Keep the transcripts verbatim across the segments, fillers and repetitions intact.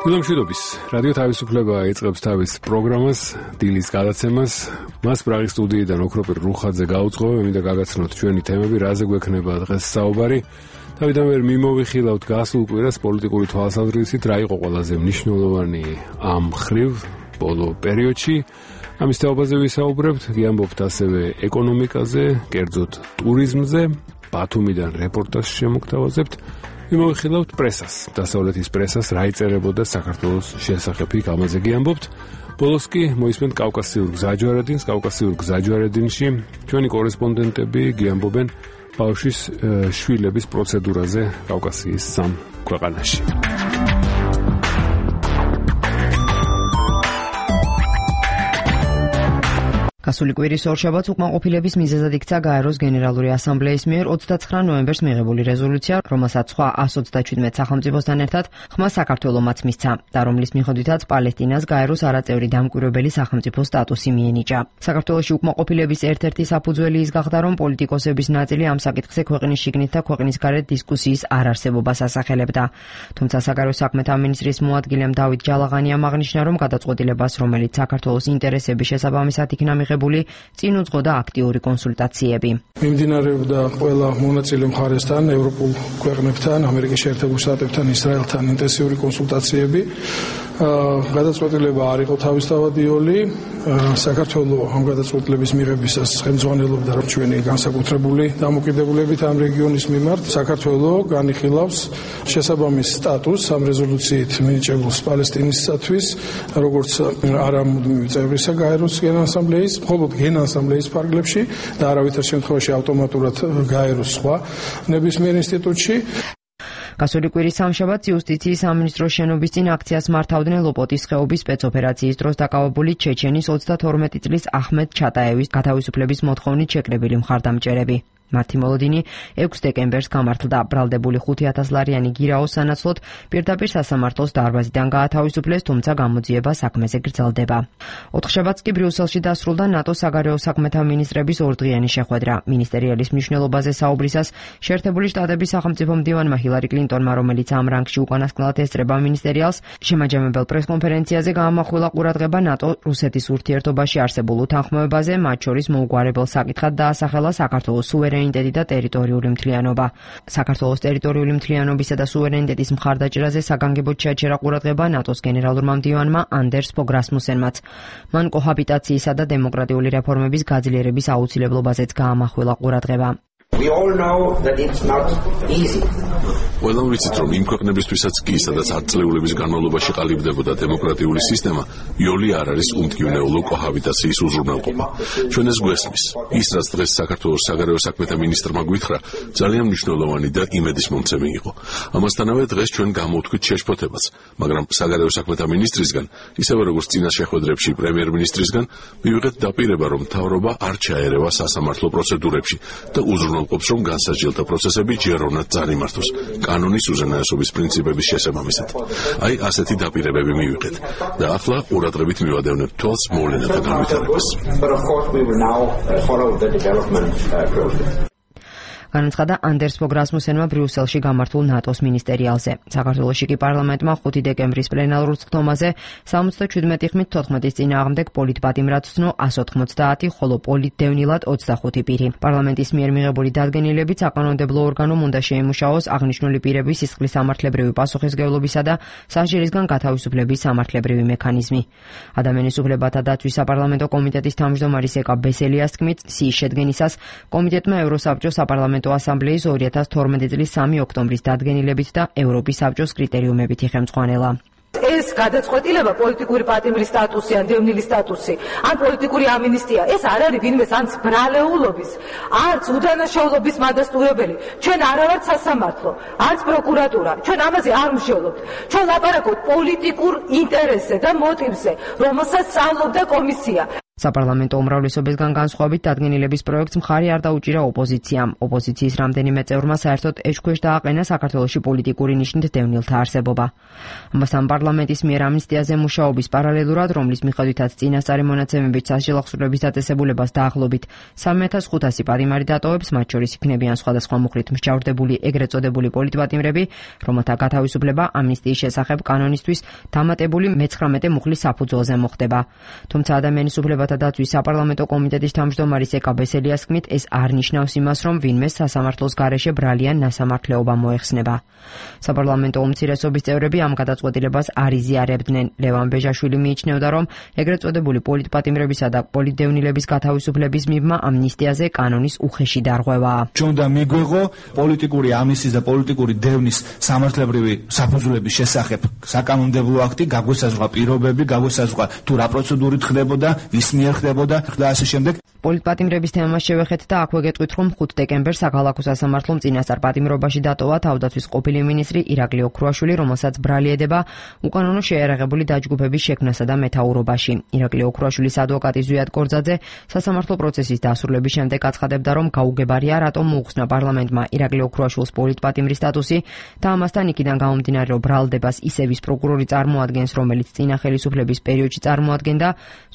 მშვიდობის რადიო თავისუფლება ეწყებს თავის პროგრამას დილის გადაცემას. მას პრაღის სტუდიიდან ოქროპირ რუხაძე გაუძღვევ, მინდა გაგაცნოთ ჩვენი თემები, რაზე გვექნება დღეს საუბარი. თავიდანვე მიმოვიხილავთ გასულ კვირას პოლიტიკური თვალსაზრისით, რა იყო ყველაზე მნიშვნელოვანი ამ ხრივ ბოლო პერიოდში. ამის თეობაზე ვისაუბრებთ, გიამბობთ ასევე ეკონომიკაზე, კერძოდ ტურიზმზე, ბათუმიდან რეპორტაჟს შემოგთავაზებთ. მიმოვიხილავთ პრესას, დასავლეთის პრესას, რა იწერებოდა საქართველოს შესახებ, იქ ამაზე გიამბობთ. ბოლოს კი მოისმენთ კავკასიურ გზაჯვარედინს, კავკასიურ გზაჯვარედინში ჩვენი კორესპონდენტები გიამბობენ ბავშვის შვილების პროცედურაზე კავკასიის სამ ქვეყანაში. გასული კვირის ორშაბათს უკმაყოფილების მიზეზად იქცა გაეროს გენერალური ასამბლეის მიერ ოცდაცხრა ნოემბერს მიღებული რეზოლუცია, რომელსაც სხვა ას ოცდაჩვიდმეტ სახელმწიფოსთან ერთად ხმა საქართველომაც მისცა და რომლის მიხედვითაც პალესტინას გაეროს არაწევრი დამკვირვებელი სახელმწიფო სტატუსი მიენიჭა. საქართველოში უკმაყოფილების ერთ-ერთი საფუძველი ის გახდა, რომ პოლიტიკოსების ნაწილი ამ საკითხზე ქვეყნის შიგნით და ქვეყნის გარეთ დისკუსიის არარსებობას ასახელებდა. თუმცა საგარეო საქმეთა მინისტრის მოადგილემ დავით ჯალაღანიამ აღნიშნა, რომ გადაწყვეტილებას, რომელიც საქართველოს ინტერესების შესაბამისად იქნა მიღებული, წინ უძღოდა აქტიური კონსულტაციები. მიმდინარეობდა ყველა მონაწილე მხარესთან, ევროპულ ქვეყნებთან, ამერიკის შეერთებულ შტატებთან, ისრაელთან ინტენსიური კონსულტაციები. გადაწყვეტილება არ იყო თავისთავადიოლი. საქართველოს ამ გადაწყვეტილების მიღებისას ხელმძღვანელობდა ჩვენი განსაკუთრებული დამოკიდებულებით ამ რეგიონის მიმართ. საქართველოს განიხილავს შესაბამის სტატუსს ამ რეზოლუციით მინიჭებულს პალესტინისათვის, როგორც არამუდმივი წევრისა გაეროს გენასამბლეის, მხოლოდ გენასამბლეის ფარგლებში და არავითარ შემთხვევაში ავტომატურად გაეროს სხვა ნებისმიერ ინსტიტუტში. გასული კვირის სამშაბათს იუსტიციის სამინისტროს შენობის წინ აქციას მართავდნენ ლოპოტის ხეობის სპეცოპერაციის დროს დაკავებული ჩეჩენის ოცდათორმეტი წლის ახმედ ჩატაევის გათავისუფლების მოთხოვნით შეკრებილი მხარდამჭერები. მათი მოლოდინი ექვსი დეკემბერს გამართლდა. ბრალდებული ხუთი ათას ლარიანი გირაოს სანაცვლოდ პირდაპირ სასამართლოს დარბაზიდან გაათავისუფლეს, თუმცა გამოძიება საქმეზე გრძელდება. ოთხშაბათს კი ბრიუსელში დასრულდა ნატოს საგარეო საქმეთა მინისტრების ორდღიანი შეხვედრა. მინისტერიალის მნიშვნელობაზე საუბრისას შეერთებული შტატების სახელმწიფო მდივანმა ჰილარი კლინტონმა, რომელიც ამ რანგში უკანასკნელად ესწრება მინისტერიალს, შემაჯამებელ პრესკონფერენციაზე გაამახვილა ყურადღება ნატო-რუსეთის ურთიერთობაში არსებულ უთანხმოებაზე, მათ შორის მოუგვარებელ საკითხად დაასახელა საქართველოს სუვერენიტეტი და ტერიტორიული მთლიანობა. საქართველოს ტერიტორიული მთლიანობისა და სუვერენიტეტის მხარდაჭერაზე საგანგებოდ შეაჩერა ყურადღება ნატოს გენერალურმა მდივანმა ანდერს ფოგ რასმუსენმაც. მან კოჰაბიტაციისა და დემოკრატიული რეფორმების გაძლიერების აუცილებლობაზეც გაამახვილა ყურადღება. We all know that it's not easy. Ყველა ვიცით, რომ იმ ქვეყნებისთვისაც კი, სადაც ათწლეულების განმავლობაში ყალიბდებოდა დემოკრატიული სისტემა, იოლი არ არის უმტკივნეულო კოჰაბიტაციის უზრუნველყოფა. ჩვენ ეს გვესმის. ის, რაც დღეს საქართველოს საგარეო საქმეთა მინისტრმა გვითხრა, ძალიან მნიშვნელოვანი და იმედისმომცემი იყო. ამასთანავე დღეს ჩვენ გამოვთქვით შეშფოთებას, მაგრამ საგარეო საქმეთა მინისტრისგან, ისევე როგორც წინა შეხვედრებში პრემიერ-მინისტრისგან, მივიღეთ დაპირება, რომ მთავრობა არ ჩაერევა სასამართლო პროცედურებში და უზრუნველყოფს, რომ განსაჯელთა პროცესები ჯეროვნად წარიმართოს. კანონის უზენაესობის პრინციპების შესაბამისად. აი ასეთი დაპირებები მივიღეთ და ახლა ყურადღებით მივადევნებთ თვალს მოვლენათა განვითარებას. განაცხადა ანდერს ფოგ რასმუსენმა ბრიუსელში გამართულ ნატოს მინისტერიალზე. საქართველოში კი პარლამენტმა ხუთი დეკემბრის პლენარულ სხდომაზე სამოცდაჩვიდმეტი ხმით თოთხმეტის წინააღმდეგ პოლიტპატიმრად ცნო ას ოთხმოცდაათი, ხოლო პოლიტდევნილად ოცდახუთი პირი. პარლამენტის მიერ მიღებული დადგენილებიც საკანონმდებლო ორგანომ უნდა შეიმუშაოს აღნიშნული პირების სისხლის სამართლებრივი პასუხისმგებლობისა და სასჯელისგან გათავისუფლების სამართლებრივი მექანიზმი. ადამიანის უფლებათა დაცვის საპარლამენტო კომიტეტის თავმჯდომარის ეკა ბესელიას თქმით, სიის შედგენისას კომიტეტმა ევროსაბჭოს საპარლამენტო ასამბლეის ორი ათას თორმეტი წლის სამი ოქტომბრის დადგენილებით და ევროპის საბჭოს კრიტერიუმებით იხემწყვალა. ეს გადაწყვეტილება პოლიტიკური პატიმრის სტატუსი ან დევნილის სტატუსი ან პოლიტიკური ამინისტია, ეს არ არის ვინმეს ან ბრალეულობის, არც უდანაშაულობის მადასტურებელი. ჩვენ არ ვართ სასამართლო, არც პროკურატურა. ჩვენ ამაზე არ ვმშევლობთ. ჩვენ ლაპარაკობთ პოლიტიკურ ინტერესზე და მოტივზე, რომელსაც სწავლობდა კომისია. საპარლამენტო უმრავლესობისგან განსხვავებით დადგენილების პროექტს მხარი არ დაუჭირა ოპოზიციამ. ოპოზიციის რამდენიმე წევრმა საერთოდ ეჭქვეშ დააყენა საქართველოში პოლიტიკური ნიშნით დევნილთა არსებობა. ამასთან პარლამენტის მიერ ამნისტიაზე მუშაობის პარალელურად, რომლის მიხედვითაც წინასწარი მონაცემებით სასჯელახსოვრების დაწესებულებას დაახლოებით სამი ათას ხუთასი პატიმარი დატოვებს, მათ შორის იქნებიან სხვადასხვა მუხლით მსჯავრდებული ეგრეთ წოდებული პოლიტპატიმრები, რომელთა გათავისუფლება ამნისტიის შესახებ კანონისთვის დამატებული მეცხრამეტე მუხლის საფუძველზე მოხდება. თუმცა ადამიანის უფლებათა დაცვის საპარლამენტო კომიტეტის თავმჯდომარის ეკა ბესელიას თქმით, ეს არ ნიშნავს იმას, რომ ვინმე სასამართლოს გარეშე ბრალიან ნასამართლეობა მოეხსნება. საპარლამენტო უმცირესობის წევრები ამ გადაწყვეტილებას არ იზიარებდნენ. ლევან ბეჟაშვილი მიიჩნევდა, რომ ეგრეთ წოდებული პოლიტპატიმრებისა და პოლიტდევნილების გათავისუფლების მიბმა ამნისტიაზე კანონის უხეში დარღვევაა. Ჩვენდა მიგვეღო პოლიტიკური ამნისტიის და პოლიტიკური დევნის სამართლებრივი საფუძვლების შესახებ საკანონმდებლო აქტი, გაგვესაზღვრა პირობები, გაგვესაზღვრა თუ რა პროცედურით ხდებოდა, ვის მიერ ხდებოდა და ასე შემდეგ. პოლიტპატიმრების თემას შევეხეთ და აქვე გეტყვით, რომ ხუთ დეკემბერს საქალაქო სასამართლომ წინასწარ პატიმრობაში დატოვა თავდაცვის ყოფილი მინისტრი ირაკლი ოქრუაშვილი, რომელსაც ბრალი ედება უკანონო შეიარაღებული დაჯგუფების შექმნასა და მეთაურობაში. ირაკლი ოქრუაშვილის ადვოკატი ზვიად კორძაძე სასამართლო პროცესის დასრულების შემდეგ აცხადებდა, რომ გაუგებარია რატომ მოუხსნა პარლამენტმა ირაკლი ოქრუაშვილს პოლიტპატიმრის სტატუსი და ამასთან იქიდან გამომდინარე, რომ ბრალდებას ისევის პროკურორი წარმოადგენს, რომელიც წინა ხელისუფლების პერიოდში წარმოადგენდა.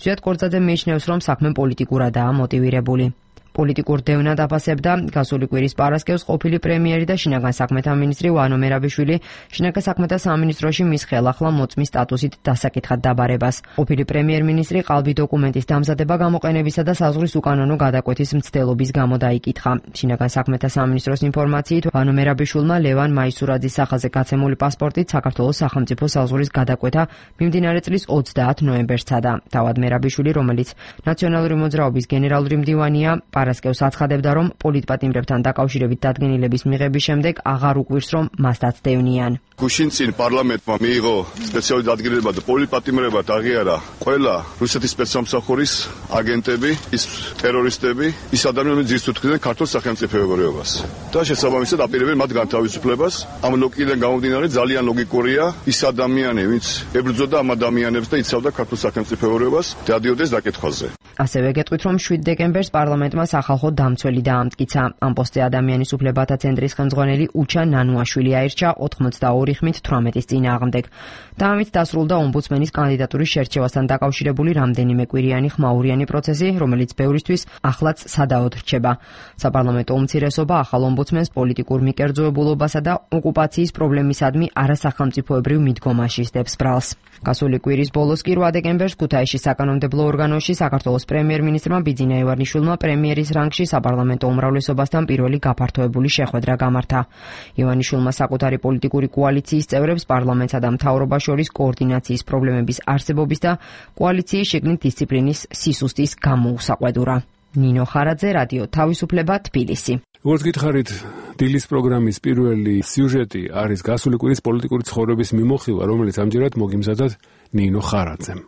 ზვიად კორძაძე მიიჩნევს, რომ საქმე პოლიტიკურადაა მოტივირებული. პოლიტიკურ დევნად აფასებდა გასული კვირის პარასკევს ყოფილი პრემიერი და შინაგან საქმეთა მინისტრი ვანო მერაბიშვილი შინაგან საქმეთა სამინისტროში მის ხელახლა მოწმის სტატუსით დასაკითხად დაბარებას. ყოფილი პრემიერ-მინისტრი ყალბი დოკუმენტის დამზადება გამოყენებისა და საზღვრის უკანონო გადაკვეთის მცდელობის გამო დაიკითხა. შინაგან საქმეთა სამინისტროს ინფორმაციით ვანო მერაბიშვილმა ლევან მაისურაძის სახაზე გაცემული პასპორტით საქართველოს სახელმწიფო საზღვრის გადაკვეთა მიმდინარე წლის ოცდაათ ნოემბერს სცადა. თავად მერაბიშვილი, რომელიც ნაციონალური მოძრაობის გენერალური მდივანია, პარასკევს აცხადებდა, რომ პოლიტპატიმრებთან დაკავშირებით დადგენილების მიღების შემდეგ აღარ უკვირს, რომ მასაც დევნიან. გუშინ წინ პარლამენტმა მიიღო სპეციალური დადგენილება და პოლიტპატიმრებად აღიარა ყველა რუსეთის სპეცსამსახურის აგენტები, ის ტერორისტები, ის ადამიანები ძირს უთხრდნენ ქართულ სახელმწიფოებრიობას. და შესაბამისად აპირებენ მათ განთავისუფლებას. ამ ლოგიკიდან გამომდინარე ძალიან ლოგიკურია ის ადამიანი, ვინც ებრძოდა ამ ადამიანებს და იცავდა ქართულ სახელმწიფოებრიობას, დადიოდეს დაკითხვაზე. ასევე გეტყვით, რომ შვიდ დეკემბერს პარლამენტმა სახალხო დამცველი დაამტკიცა. ამ პოსტზე ადამიანის უფლებათა ცენტრის ხელმძღვანელი უჩა ნანუაშვილი აირჩა ოთხმოცდაორი ხმით თვრამეტის წინააღმდეგ. და ამით დასრულდა ომბუდსმენის კანდიდატურის შერჩევასთან დაკავშირებული რამდენიმე კვირიანი ხმაურიანი პროცესი, რომელიც ბევრისთვის ახლაც სადაოდ რჩება. საპარლამენტო უმცირესობა ახალ ომბუდსმენს პოლიტიკურ მიკერძოებულობასა და ოკუპაციის პრობლემისადმი არასახელმწიფოებრივ მიდგომაში სდებს ბრალს. გასული კვირის ბოლოს კი რვა დეკემბერს ქუთაისში საკანონმდებლო ორგანოში საქართველოს პრემიერ-მინისტრმა ბიძინა ივანიშვილმა პრემიერის რანგში საპარლამენტო უმრავლესობასთან პირველი გაფართოებული შეხვედრა გამართა. ივანიშვილმა საკუთარი პოლიტიკური კოალიციის წევრებს პარლამენტსა და მთავრობას შორის კოორდინაციის პრობლემების არსებობის და კოალიციის შიგნით დისციპლინის სისუსტის გამოუსაყვედურა. ნინო ხარაძე, რადიო თავისუფლება, თბილისი. როგორც გითხარით, დილის პროგრამის პირველი სიუჟეტი არის გასული კვირის პოლიტიკური ცხოვრების მიმოხილვა, რომელიც ამჯერად მოგიმზადათ ნინო ხარაძემ.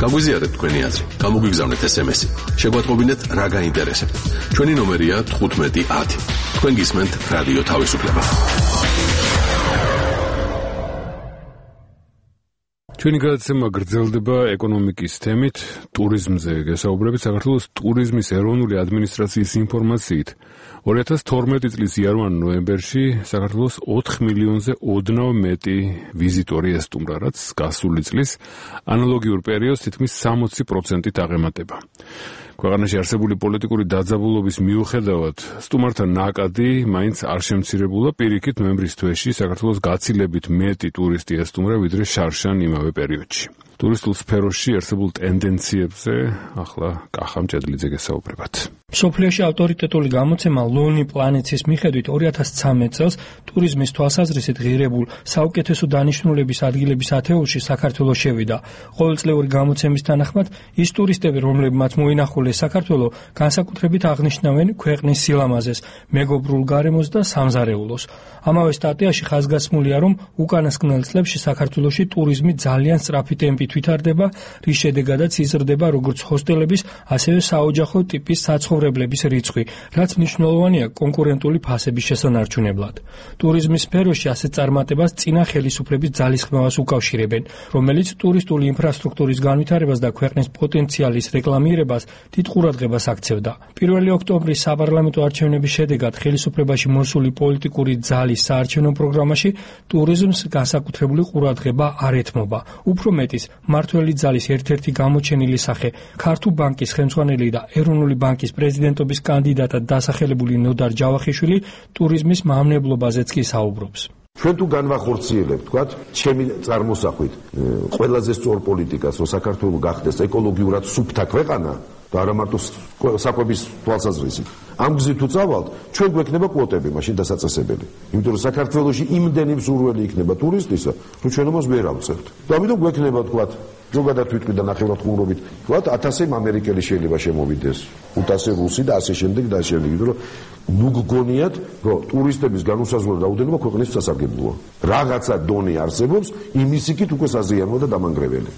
გაგვიზიარეთ თქვენი აზრი, გამოგვიგზავნეთ ესემესი. შეგვატყობინეთ რა გაინტერესებთ. ჩვენი ნომერია თხუთმეტი ათი. თქვენ გისმენთ რადიო თავისუფლება. ჩვენი გადაცემა გრძელდება ეკონომიკის თემით, ტურიზმზე გესაუბრებით. საქართველოს ტურიზმის ეროვნული ადმინისტრაციის ინფორმაციით ორი ათას თორმეტი წლის იანვარ ნოემბერში საქართველოს ოთხ მილიონზე ოდნავ მეტი ვიზიტორი ესტუმრა, რაც გასული წლის ანალოგიურ პერიოდს თითქმის სამოცი პროცენტით აღემატება. ქვეყანაში არსებული პოლიტიკური დაძაბულობის მიუხედავად სტუმართა ნაკადი მაინც არ შემცირებულა. პირიქით ნოემბრის თვეში საქართველოს გაცილებით მეტი ტურისტი ესტუმრა ვიდრე შარშან იმავე პერიოდში. ტურისტულ სფეროში არსებულ ტენდენციებზე ახლა კახამ ჭედლიძე გესაუბრებათ. მსოფლიოში ავტორიტეტული გამოცემა Lonely Planets-ის მიხედვით ორი ათას ცხრამეტ წელს ტურიზმის თვალსაზრისით ღირებულ საუკეთესო დანიშნულების ადგილების ათეულში საქართველო შევიდა. ყოველწლიური გამოცემის თანახმად ის ტურისტები, რომლებმაც მოინახულეს საქართველო, განსაკუთრებით აღნიშნავენ ქვეყნის სილამაზეს, მეგობრულ გარემოს და სამზარეულოს. ამავე სტატიაში ხაზგასმულია, რომ უკანასკნელ წლებში საქართველოში ტურიზმი ძალიან სწრაფი ტემპით ვითარდება, რის შედეგადაც იზრდება როგორც ჰოსტელების, ასევე საოჯახო ტიპის საცხოვრებლების რიცხვი, რაც მნიშვნელოვანია კონკურენტული ფასების შესანარჩუნებლად. ტურიზმის სფეროში ასეთ წარმატებას წინა ხელისუფლების ძალისხმევას უკავშირებენ, რომელიც ტურისტული ინფრასტრუქტურის განვითარებას და ქვეყნის პოტენციალის რეკლამირებას დიდ ყურადღებას აქცევდა. პირველი ოქტომბრის საპარლამენტო არჩევნების შედეგად ხელისუფლებაში მოსული პოლიტიკური ძალის საარჩევნო პროგრამაში ტურიზმს განსაკუთრებული ყურადღება არ ეთმობა. უფრო მეტის, მმართველი ძალის ერთ-ერთი გამოჩენილი სახე, ქართულ ბანკის ხელმძღვანელი და ეროვნული ბანკის პრეზიდენტობის კანდიდატად დასახელებული ნოდარ ჯავახიშვილი ტურიზმის მავნებლობაზეც კი საუბრობს. ჩვენ თუ განვახორციელებთ, თქვათ, ჩემი წარმოსახვით, ყველაზე სწორ პოლიტიკას, რომ საქართველო გახდეს ეკოლოგიურად სუფთა ქვეყანა და არა მარტო საკვების თვალსაზრისით. ამ გზით თუ წავალთ, ჩვენ გვექნება კვოტები მაშინ დასაწესებელი. იმიტომ რომ საქართველოში იმდენი მსურველი იქნება ტურისტისა, რომ ჩვენ ამას ვერ ავწევთ. და ამიტომ გვექნება, თქვათ, ზოგადად ვიტყვი და ნახევრად ხუმრობით, თქვათ, ათასი ამერიკელი შეიძლება შემოვიდეს, ութასი რუსი და ასე შემდეგ და ასე შემდეგ. იმიტომ რომ ნუ გგონიათ, რომ ტურისტების განუსაზღვრო რაოდენობა ქვეყნის სასარგებლოა. რაღაცა დონე არსებობს, იმის იქით უკვე საზიანოა და დამანგრეველი.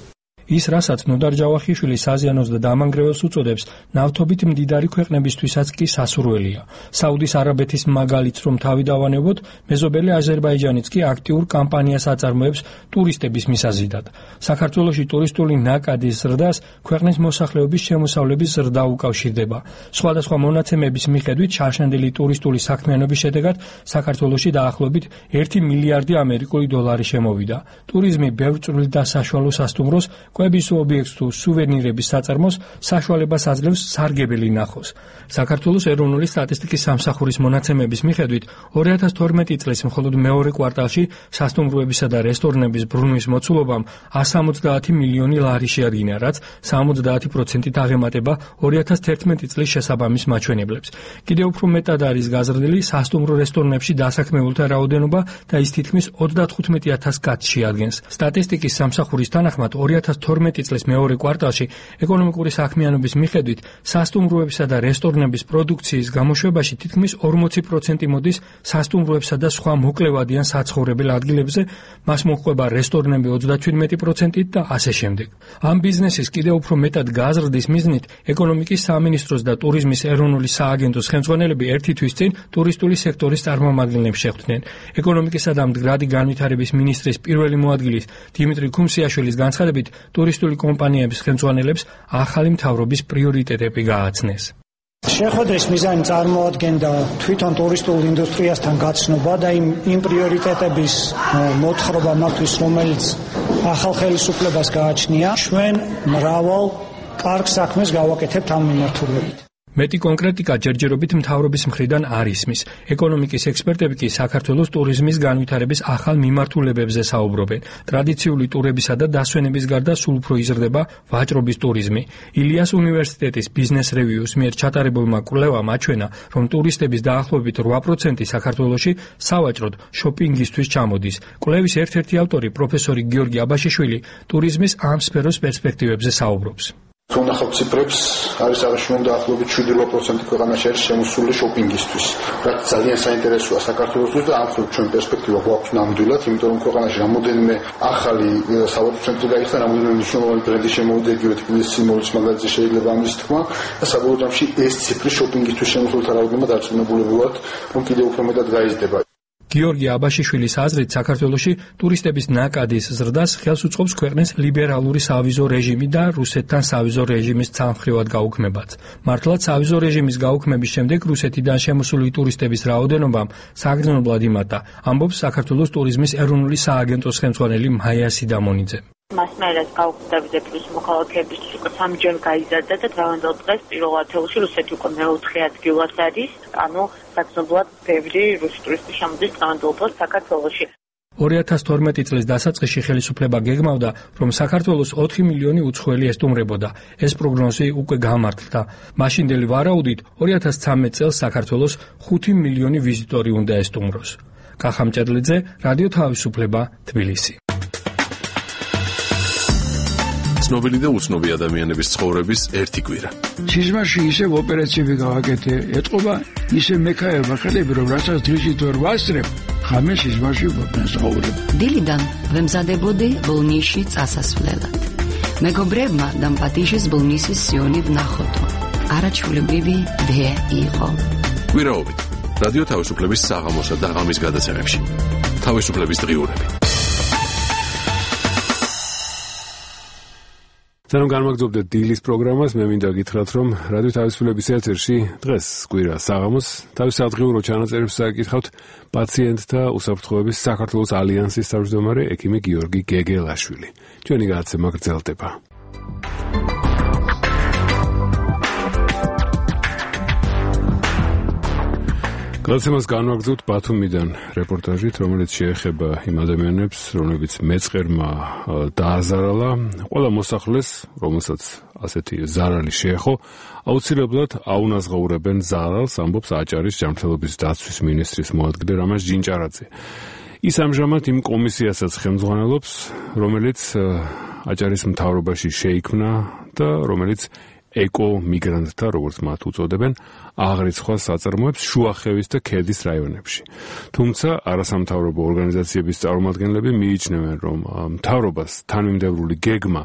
ის, რასაც ნოდარ ჯავახიშვილი საზიანოს და დამანგრეველს უწოდებს, ნავთობით მდიდარი ქვეყნებისთვისაც კი სასურველია. საუდის არაბეთის მაგალითს რომ თავი დავანებოთ, მეზობელი აზერბაიჯანიც კი აქტიურ კამპანიას აწარმოებს ტურისტების მისაზიდად. საქართველოში ტურისტული ნაკადის ზრდას ქვეყნის მოსახლეობის შემოსავლების ზრდა უკავშირდება. სხვადასხვა მონაცემების მიხედვით, შარშანდელი ტურისტული საქმიანობის შედეგად საქართველოში დაახლოებით ერთი მილიარდი ამერიკული დოლარი შემოვიდა. ტურიზმი ბევრ წვრილ და საშუალო სასტუმროს, კვების ობიექტს თუ სუვენირების საწარმოს საშუალებას აძლევს სარგებელი ნახოს. საქართველოს ეროვნული სტატისტიკის სამსახურის მონაცემების მიხედვით, ორი ათას თორმეტი წლის მხოლოდ მეორე კვარტალში სასტუმროებისა და რესტორნების ბრუნვის მოცულობამ εκατს სამოცდაათი მილიონი ლარი შეადგინა, რაც სამოცდაათი პროცენტით აღემატება ორი ათას თერთმეტი წლის შესაბამის მაჩვენებლებს. კიდევ უფრო მეტად არის გაზრდილი სასტუმრო რესტორნებში დასაქმებულთა რაოდენობა და ის თითქმის ოცდათხუთმეტი ათასს კაცს შეადგენს. სტატისტიკის სამსახურის თანახმად ორი ათას თორმეტი წლის მეორე კვარტალში ეკონომიკური საქმიანობის მიხედვით სასტუმროებისა და რესტორნების პროდუქციის გამოშვებაში თითქმის ორმოცი პროცენტი მოდის სასტუმროებსა და სხვა მოკლევადიან საცხოვრებელ ადგილებზე, მას მოჰყვება რესტორნები ოცდაჩვიდმეტი პროცენტით და ასე შემდეგ. ამ ბიზნესის კიდევ უფრო მეტად გაზრდის მიზნით ეკონომიკის სამინისტროს და ტურიზმის ეროვნული სააგენტოს ხელმძღვანელები ერთი თვის წინ ტურისტული სექტორის წარმომადგენლებს შეხვდნენ. ეკონომიკისა და მდგრადი განვითარების მინისტრის პირველი მოადგილის დიმიტრი ქუმსიაშვილის განცხადებით, ტურისტული კომპანიების ხელმძღვანელებს ახალი მთავრობის პრიორიტეტები გააცნეს. შეხვედრის მიზანი წარმოადგენდა თვითონ ტურისტულ ინდუსტრიასთან გაცნობა და იმ იმ პრიორიტეტების მოთხრობა მათთვის, რომელიც ახალ ხელისუფლებას გააჩნია. ჩვენ მრავალ კარგ საქმეს გავაკეთებთ ამ მიმართულებით. მეტი კონკრეტიკა ჯერჯერობით მთავრობის მხრიდან არ ისმის. ეკონომიკის ექსპერტები კი საქართველოს ტურიზმის განვითარების ახალ მიმართულებებზე საუბრობენ. ტრადიციული ტურებისა და დასვენების გარდა სულ უფრო იზრდება ვაჭრობის ტურიზმი. ილიას უნივერსიტეტის ბიზნეს რევიუს მიერ ჩატარებულმა კვლევამ აჩვენა, რომ ტურისტების დაახლოებით რვა პროცენტი საქართველოში სავაჭროდ შოპინგისთვის ჩამოდის. კვლევის ერთ-ერთი ავტორი პროფესორი გიორგი აბაშიშვილი ტურიზმის ამ სფეროს პერსპექტივებზე საუბრობს. თუ ნახავთ ციფრებს, არის აღნიშნული დაახლოებით შვიდი რვა პროცენტი ქვეყანაში არის შემოსული შოპინგისთვის, რაც ძალიან საინტერესოა საქართველოსთვის და ამ მხრივ ჩვენ პერსპექტივა გვაქვს ნამდვილად, იმიტომ რომ ქვეყანაში რამოდენიმე ახალი სავაჭრო ცენტრი გაიხსნა, რამოდენიმე მნიშვნელოვანი ბრენდი შემოვიდა, იგივე თბილისის სიმბოლის მაგალითზე შეიძლება ამის თქმა და საბოლოო ჯამში ეს ციფრი შოპინგისთვის შემოსულთა რაოდენობა დარწმუნებული ვართ, რომ კიდევ უფრო მეტად გაიზრდება. გიორგი აბაშიშვილის აზრით, საქართველოში ტურისტების ნაკადის ზრდას ხელს უწყობს ქვეყნის ლიბერალური სავიზო რეჟიმი და რუსეთთან სავიზო რეჟიმის ცალმხრივად გაუქმებაც. მართლაც სავიზო რეჟიმის გაუქმების შემდეგ რუსეთიდან შემოსული ტურისტების რაოდენობამ საგრძნობლად იმატა, ამბობს საქართველოს ტურიზმის ეროვნული სააგენტოს ხელმძღვანელი მაია სიდამონიძე. მასმერას გაუქმდებზე პლუს მოქალაქეების უკვე სამჯერ გაიზარდა და დღევანდელ დღეს პირველ ათეულში რუსეთი უკვე მეოთხე ადგილას არის, ანუ საგრძნობლად ბევრი რუსი ტურისტი შემოდის დღევანდელ დღეს საქართველოში. ორი ათას თორმეტი წლის დასაწყისში ხელისუფლება გეგმავდა, რომ საქართველოს ოთხი მილიონი უცხოელი ესტუმრებოდა. ეს პროგნოზი უკვე გამართლდა. მაშინდელი ვარაუდით ორი ათას ცხრამეტ წელს საქართველოს ხუთი მილიონი ვიზიტორი უნდა ესტუმროს. კახა მჭედლიძე, რადიო თავისუფლება, თბილისი. ცნობილი და უცნობი ადამიანების ცხოვრების ერთი კვირა. სიზმარში ისევ ოპერაციები გავაკეთე, ეთყობა ისე მექაერმა ხელები, რომ რასაც დღისით ვერ ვასწრებ, ხამე სიზმარში ვობნას ცხოვრებ. დილიდან ვემზადებოდი ბოლნისში წასასვლელად. მეგობრებმა და პატიჟის был მისის სიონი ვნახოთო. არაჩვეულებრივი დე იყო. ვირაობით რადიო თავისუფლების საღამოსა და ღამის გადაცემებში. თავისუფლების დღიურები. Სანამ განმაგრძობდეთ დილის პროგრამას, მე მინდა გითხრათ, რომ რადიო თავისუფლების ეთერში დღეს კვირა საღამოს თავის სადღიურო ჩანაწერებს საკითხავთ პაციენტთა უსაფრთხოების საქართველოს ალიანსის თავმჯდომარე ექიმი გიორგი გეგელაშვილი. ჩვენი გადაცემა გრძელდება. გადაცემას განვაგრძობთ ბათუმიდან რეპორტაჟით, რომელიც შეეხება იმ ადამიანებს, რომლებიც მეწყერმა დააზარალა. ყველა მოსახლეს, რომელსაც ასეთი ზარალი შეეხო, აუცილებლად აუნაზღაურებენ ზარალს, ამბობს აჭარის ჯანმრთელობის დაცვის მინისტრის მოადგილე რამაზ ჯინჭარაძე. ის ამჟამად იმ კომისიასაც ხელმძღვანელობს, რომელიც აჭარის მთავრობაში შეიქმნა და რომელიც ეკო-მიგრანტთა, როგორც მათ უწოდებენ, აღრიცხვა საწარმოებს შუახევის და ქედის რაიონებში. თუმცა არასამთავრობო ორგანიზაციების წარმომადგენლები მიიჩნევენ, რომ მთავრობას თანმიმდევრული გეგმა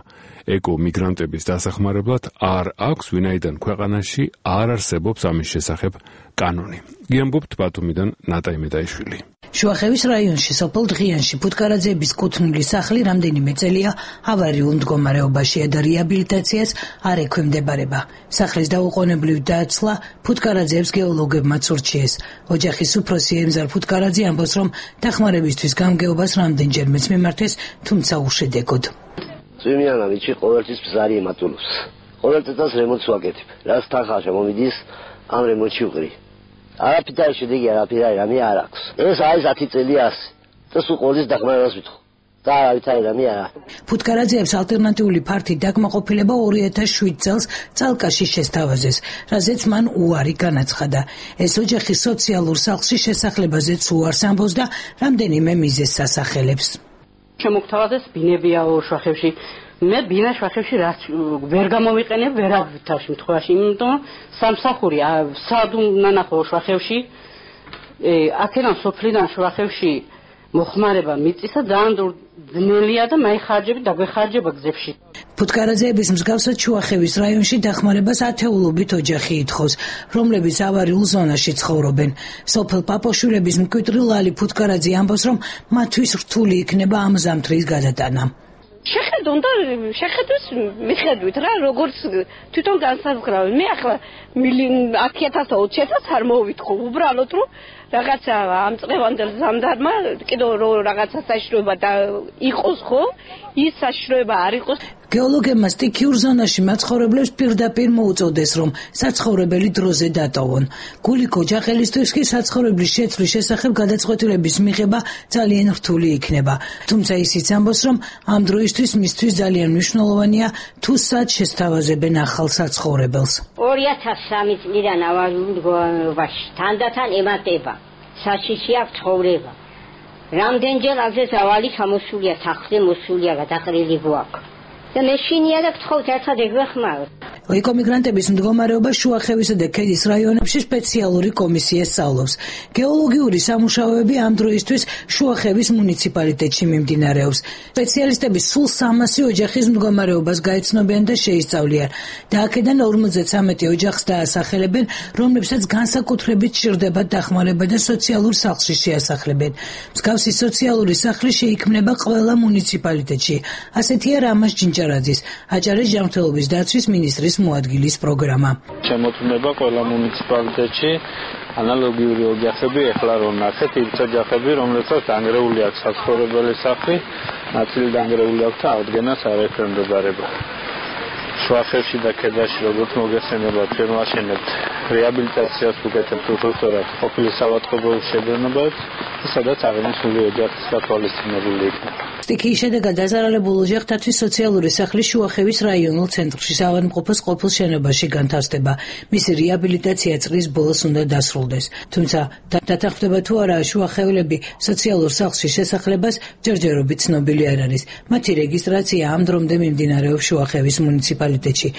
ეკო-მიგრანტების დასახმარებლად არ აქვს, ვინაიდან ქვეყანაში არ არსებობს ამის შესახებ კანონი. გიამბობთ ბათუმიდან ნატა იმედაიშვილი. შუახევის რაიონში სოფელ დღიანში ფუტკარაძეების კუთვნილი სახლი რამდენიმე წელია ავარიულ მდგომარეობაშია და რეაბილიტაციას არ ექვემდებარება. სახლის დაუყოვნებლივ დაცლა ფუტკარაძეებს გეოლოგებმაც ურჩიეს. ოჯახის უფროსი ემზარ ფუტკარაძე ამბობს, რომ დახმარებისთვის გამგეობას რამდენჯერმეც მიმართეს, თუმცა უშედეგოდ. წვიმიანა ვიჩი ყოველთვის ბზარი ემატულობს. ყოველ წელს რემონტს ვაკეთებ. რაც თანხა მომიდის, ამ რემონტში ვყრი. არაფერი შედეგი არაფერი რამე არ აქვს. ეს არის ათი წელი ასე. და სულ ყოველთვის დახმარებას ვითხოვ. და არავითარი რამე არა. ფუტკარაძეებს ალტერნატიული ფართი დაკმაყოფილება ორი ათას შვიდ წელს წალკაში შესთავაზეს, რაზეც მან უარი განაცხადა. ეს ოჯახი სოციალურ სახლში შესახლებაზეც უარს ამბობს და რამდენიმე მიზეზს ასახელებს. შემოგთავაზეს ბინებია შუახევში. მე ბინა შუახევში რაც ვერ გამოვიყენებ ვერავითარ შემთხვევაში, იმიტომ სამსახური სად უნდა ნახო შუახევში. აქედან სოფლიდან შუახევში მოხმარება მიწისა ძალიან ძნელია და მაიხარჯები დაგვეხარჯება გზებში. ფუტკარაძეების მსგავსად შუახევის რაიონში დახმარებას ათეულობით ოჯახი ითხოვს, რომლებიც ავარიულ ზონაში ცხოვრობენ. სოფელ პაპოშვილების მკვიდრი ლალი ფუტკარაძე ამბობს, რომ მათთვის რთული იქნება ამ ზამთრის გადატანა. შეხედონ და შეხედოს მიხედვით რა როგორც თვითონ განსაზღვრავენ. მე ახლა ათი ათას და ოცი ათას არ მოვითხო, უბრალოდ რომ რაღაცა ამ წლევანდელ ზამთარმა კიდევ რაღაცა საშიშროება და იყოს ხო? ის საშიშროება არ იყოს. გეოლოგებმა სტიქიურ ზონაში მაცხოვრებლებს პირდაპირ მოუწოდეს, რომ საცხოვრებელი დროზე დატოვონ. გულიკო ჯახელისთვის კი საცხოვრებლის შეცვლის შესახებ გადაწყვეტილების მიღება ძალიან რთული იქნება. თუმცა ისიც ამბობს, რომ ამ დროისთვის მისთვის ძალიან მნიშვნელოვანია თუ სად შესთავაზებენ ახალ საცხოვრებელს. ორი ათას სამი წლიდან ავარიულ მდგომარეობაში თანდათან ემატება. საშიში აქვს ცხოვრება. რამდენჯერ ასე ზავალი ჩამოსულია, სახლი მოსულია, გადაყრილი გვაქვს. და მე შინია და გთხოვთ ერთად ეგვეხმაროთ. ეკომიგრანტების მდგომარეობა შუახევისა და ქედის რაიონებში სპეციალური კომისია სწავლობს. გეოლოგიური სამუშაოები ამ დროისთვის შუახევის მუნიციპალიტეტში მიმდინარეობს. სპეციალისტები სულ სამასი ოჯახის მდგომარეობას გაეცნობიან და შეისწავლიან. და აქედან ორმოცდათრამეტი ოჯახს დაასახელებენ, რომლებსაც განსაკუთრებით სჭირდებათ დახმარება და სოციალურ სახლში შეასახლებენ. მსგავსი სოციალური სახლი შეიქმნება ყველა მუნიციპალიტეტში. ასეთია რამაზ ჯინჭარაძის, აჭარის ჯანმრთელობის დაცვის მინისტრის მოადგილის პროგრამა. შემოწმება ყველა მუნიციპალიტეტში ანალოგიური ოჯახები, ეხლა რომ ნახეთ, ის ოჯახები, რომლებსაც დანგრეული აქვს საცხოვრებელი სახლი, ნაწილი დანგრეული აქვს და აღდგენას არ ექვემდებარება. შუახევში და ქედაში როგორც მოგეხსენება, ჩვენ ვაშენებთ რეაბილიტაციას ვუკეთებთ უხორცრად ყოფილი საავადმყოფოს შეძენებებს, სადაც აღნიშნული ოჯახის გათვალისწინებული იქნება. სტიქიის შედეგად დაზარალებულ ოჯახთათვის სოციალური სახლი შუახევის რაიონულ ცენტრში საავადმყოფოს ყოფილ შენობაში განთავსდება. მისი რეაბილიტაცია წლის ბოლოს უნდა დასრულდეს. თუმცა დათანხმდება თუ არა შუახევლები სოციალურ სახლში შესახლებას ჯერჯერობით ცნობილი არ არის. მათი რეგისტრაცია ამ დრომდე მიმდინარეობს შუახევის მუნიციპალიტეტში.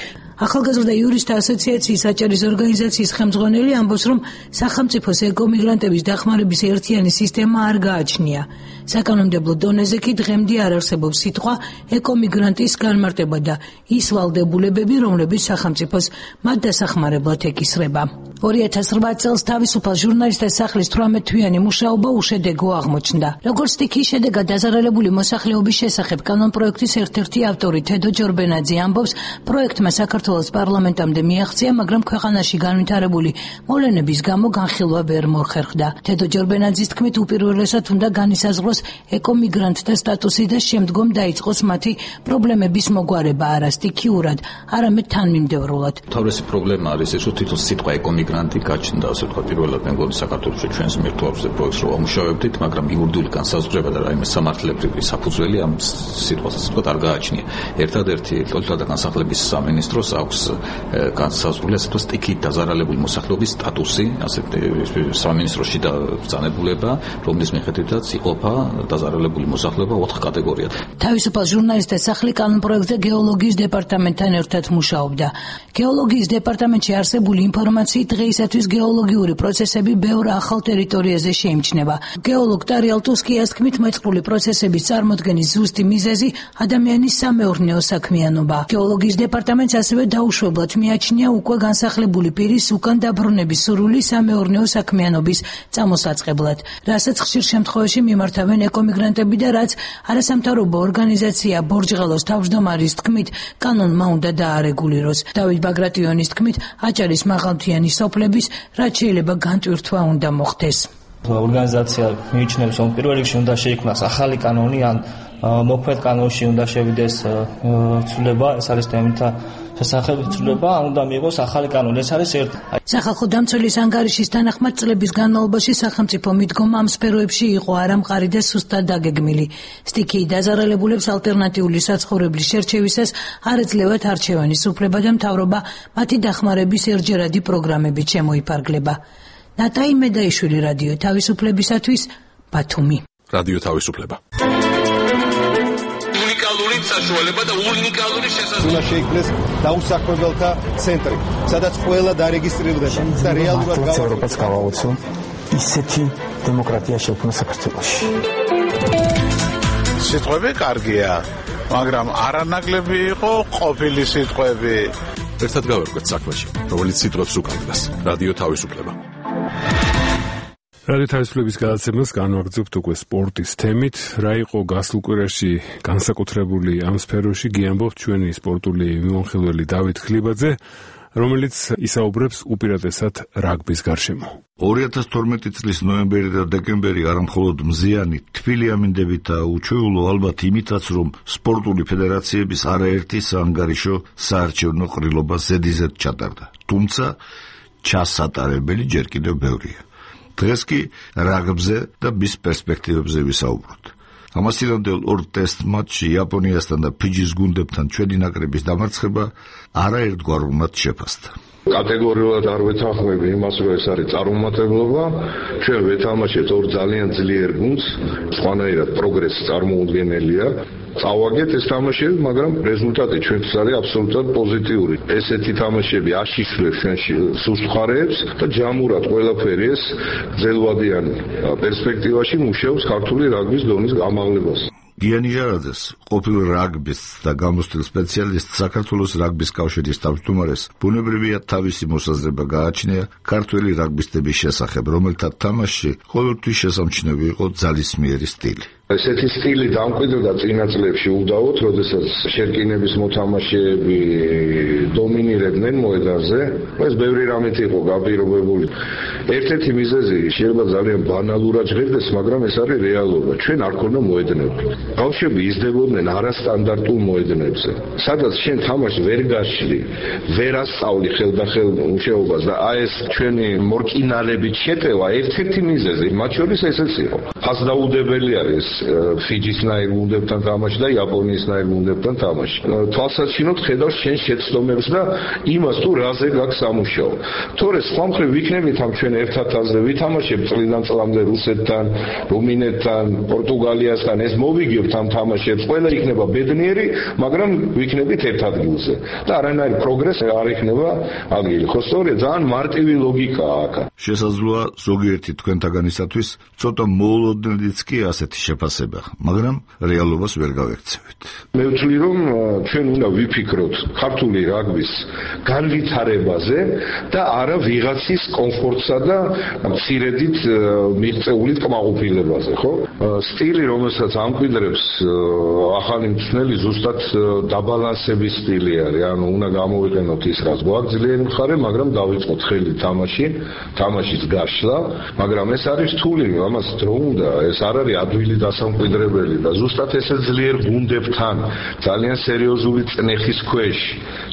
ახალგაზრდა იურისტთა ასოციაციის აჭარის ორგანიზაციის ხელმძღვანელი ამბობს, რომ სახელმწიფოს ეკომიგრანტების დახმარების ერთიანი სისტემა არ გააჩნია. საკანონმდებლო დონეზე კი დღემდე არ არსებობს სიტყვა ეკომიგრანტის განმარტება და ის ვალდებულებები, რომლებიც სახელმწიფოს მათ დასახმარებლად ეკისრება. ორი ათას რვა წელს თავისუფალ ჟურნალისტთა სახლის თვრამეტ-თვიანი მუშაობა უშედეგო აღმოჩნდა. როგორც სტიქიის შედეგად დაზარალებული მოსახლეობის შესახებ კანონპროექტის ერთ-ერთი ავტორი თედო ჯორბენაძე ამბობს, პროექტმა საქართველოს პარლამენტამდე მიაღწია, მაგრამ ქვეყანაში განვითარებული მოვლენების გამო განხილვა ვერ მოხერხდა. თედო ჯორბენაძის თქმით, უპირველესად უნდა განისაზღვროს ეკომიგრანტთა სტატუსი და შემდგომ დაიწყოს მათი პრობლემების მოგვარება არა სტიქიურად, არამედ თანმიმდევრულად. თავისი პრობლემა არის ეს, რომ თვითონ სიტყვა ეკომიგრანტი გაჩნდა, ასე ვთქვათ, პირველად მე მგონი საქართველოში ჩვენს მერტვებზე პროექტს რო ამუშავებდით, მაგრამ იურიდიული განსაზღვრება და რაიმე სამართლებრივი საფუძველი ამ სიტყვას ასე ვთქვათ არ გააჩნია. ერთადერთი ტოლთა და განსახლების სამინისტროს აქვს განსაზღვრული ასე ვთქვათ სტიქიით დაზარალებული მოსახლეობის სტატუსი, ასე სამინისტროში და ბრძანებულება, რომლის მიხედვითაც იყოფა დაზარალებული მოსახლეობა ოთხ კატეგორიად. თავისუფალ ჟურნალისტთა სახლი კანონპროექტზე გეოლოგიის დეპარტამენტთან ერთად მუშაობდა. გეოლოგიის დეპარტამენტში არსებული ინფორმაციით დღეისათვის გეოლოგიური პროცესები ბევრ ახალ ტერიტორიაზე შეიმჩნევა. გეოლოგ ტარიალ ტუსკიას თქმით, მოწყრული პროცესების წარმოქმნის ზუსტი მიზეზი ადამიანის სამეურნეო საქმიანობა. გეოლოგიის დეპარტამენტს ასევე დაუშვებლად მიაჩნია უკვე განსახლებული პირის უკან დაბრუნების სურვილი სამეურნეო საქმიანობის წამოსაწყებლად, რასაც ხშირ შემთხვევაში მიმართავენ ეკომიგრანტები და რაც არასამთავრობო ორგანიზაცია ბორჯღელოს თავმჯდომარის თქმით, კანონმა უნდა დაარეგულიროს. დავით ბაგრატიონის თქმით, აჭარის მაღალმთიანი სოფლების რაც შეიძლება განტვირთვა უნდა მოხდეს. ორგანიზაცია მიიჩნევს, რომ პირველ რიგში უნდა შეიქმნას ახალი კანონი, ან მოქმედ კანონში უნდა შევიდეს ცვლილება, ეს არის დემინთა შესახებ ცვლილება, ან უნდა მიიღოს ახალი კანონი. ეს არის ერთი. სახალხო დამცველის ანგარიშის თანახმად წლების განმავლობაში სახელმწიფო მიდგომა ამ სფეროებში იყო არამყარი და სუსტად დაგეგმილი. სტიქიით დაზარალებულებს ალტერნატიული საცხოვრებლის შერჩევისას არ ეძლევათ არჩევანის უფლება და მთავრობა მათი დახმარების ერთჯერადი პროგრამებით შემოიფარგლება. ნატაი მედაიშვილი, რადიო თავისუფლებისათვის, ბათუმი. რადიო თავისუფლება. უნიკალური საშუალება და უნიკალური შესაძლებლობა. უნდა შეიქმნეს დაუსაქმებელთა ცენტრი, სადაც ყველა დარეგისტრირდება და რეალურად ევროპას გავაოცო ისეთი დემოკრატია შექმნა საქართველოში. სიტყვები კარგია, მაგრამ არანაკლები იყო ყოფილი სიტყვები. ერთად გავერკვეთ საქმეში, რომელიც სიტყვებს უკავშირდება. რადიო თავისუფლება. რადიო თავისუფლების გადაცემას განვაგრძობთ უკვე სპორტის თემით. რა იყო გასულ კვირაში განსაკუთრებული ამ სფეროში, გიამბობთ ჩვენი სპორტული მიმოხილველი დავით ხლიბაძე, რომელიც ისაუბრებს უპირატესად რაგბის გარშემო. ორი ათას თორმეტი წლის ნოემბერი და დეკემბერი არამხოლოდ მზიანი, თბილი ამინდებით და უჩვეულო ალბათ იმითაც, რომ სპორტული ფედერაციების არაერთი საანგარიშო საარჩევნო ყრილობა ზედიზედ ჩატარდა. თუმცა ჩასატარებელი ჯერ კიდევ ბევრია. დღეს კი რაგბზე და მის პერსპექტივებზე ვისაუბროთ. ამასთანავე ორ ტესტ მატჩში იაპონიასთან და ფიჯის გუნდებთან ჩვენი ნაკრების დამარცხება არაერთგვარულად შეფასდა. კატეგორიულად არ ვეთანხმები იმას, რომ ეს არის წარუმატებლობა. ჩვენ ვეთამაშებთ ორ ძალიან ძლიერ გუნდს, სხვანაირად პროგრესი წარმოუდგენელია. წავაგეთ ეს თამაშები, მაგრამ რეზულტატი ჩვენთვის არის აბსოლუტურად პოზიტიური. ესეთი თამაშები აშიშვლებს ჩვენში სუსტ მხარეებს და ჯამურად ყველაფერი ეს გრძელვადიან პერსპექტივაში მუშაობს ქართული რაგბის დონის გამაღლებას. გიანი ჟარაძეს, ყოფილ რაგბის და გამოსტილ სპეციალისტ საქართველოს რაგბის კავშირის თავმჯდომარეს, ბუნებრივია თავისი მოსაზრება გააჩნია ქართველი რაგბისტების შესახებ, რომელთა თამაშში ყოველთვის შესამჩნევი იყო ძალისმიერი სტილი. ესეთი სტილი დამკვიდრდა წინა წლებში უდავოდ, როდესაც შერკინების მოთამაშეები დომინირებდნენ მოედანზე. ეს ბევრი რამით იყო გაპირობებული. ერთ-ერთი მიზეზი შეიძლება ძალიან ბანალურად ჟღერდეს, მაგრამ ეს არის რეალობა. ჩვენ არ ქონდა მოედნები. ბავშვები იზრდებოდნენ არასტანდარტულ მოედნებზე, სადაც შენ თამაშს ვერ გაშლი, ვერ ასწავლი ხელდახელ მუშაობას და აი ეს ჩვენი მორკინალებით შეტევა ერთ-ერთი მიზეზი, მათ შორის ესეც იყო. ფასდაუდებელი არის ფიჯისნაირ გუნდებთან თამაში და იაპონიისნაირ გუნდებთან თამაში. თვალსაჩინოდ ხედავს შენ შეცდომებს და იმას თუ რაზე გაქვს სამუშაო. თორე სხვა მხრივ ვიქნებით ამ ჩვენ ერთად აზრზე ვითამაშებთ წლიდან წლამდე რუსეთთან, რუმინეთთან, პორტუგალიასთან, ეს მოვიგებთ ამ თამაშებს, ყველა იქნება ბედნიერი, მაგრამ ვიქნებით ერთ ადგილზე. და არანაირი პროგრესი არ იქნება ადგილი. ხო სწორია, ძალიან მარტივი ლოგიკაა აქ. შესაძლოა ზოგიერთი თქვენთაგანისათვის ცოტა მოულოდნელიც კი ასეთი შეფასება, მაგრამ რეალობას ვერ გავექცევით. მე ვთვლი, რომ ჩვენ უნდა ვიფიქროთ ქართული რაგბის განვითარებაზე და არა ვიღაცის კომფორტსა და მცირედით მიღწეული კმაყოფილებაზე, ხო? სტილი, რომელსაც ამკვიდრებს ახალი მწვრთნელი, ზუსტად დაბალანსების სტილი არის. ანუ უნდა გამოვიყენოთ ის, რაც გვაქვს ძლიერი მხარე, მაგრამ დავიწყოთ ხელი თამაში, თამაშის გაშლა, მაგრამ ეს არის რთული, ამას დრო უნდა, ეს არ არის ადვილი დასამკვიდრებელი და ზუსტად ესე ძლიერ გუნდებთან, ძალიან სერიოზული წნეხის ქვეშ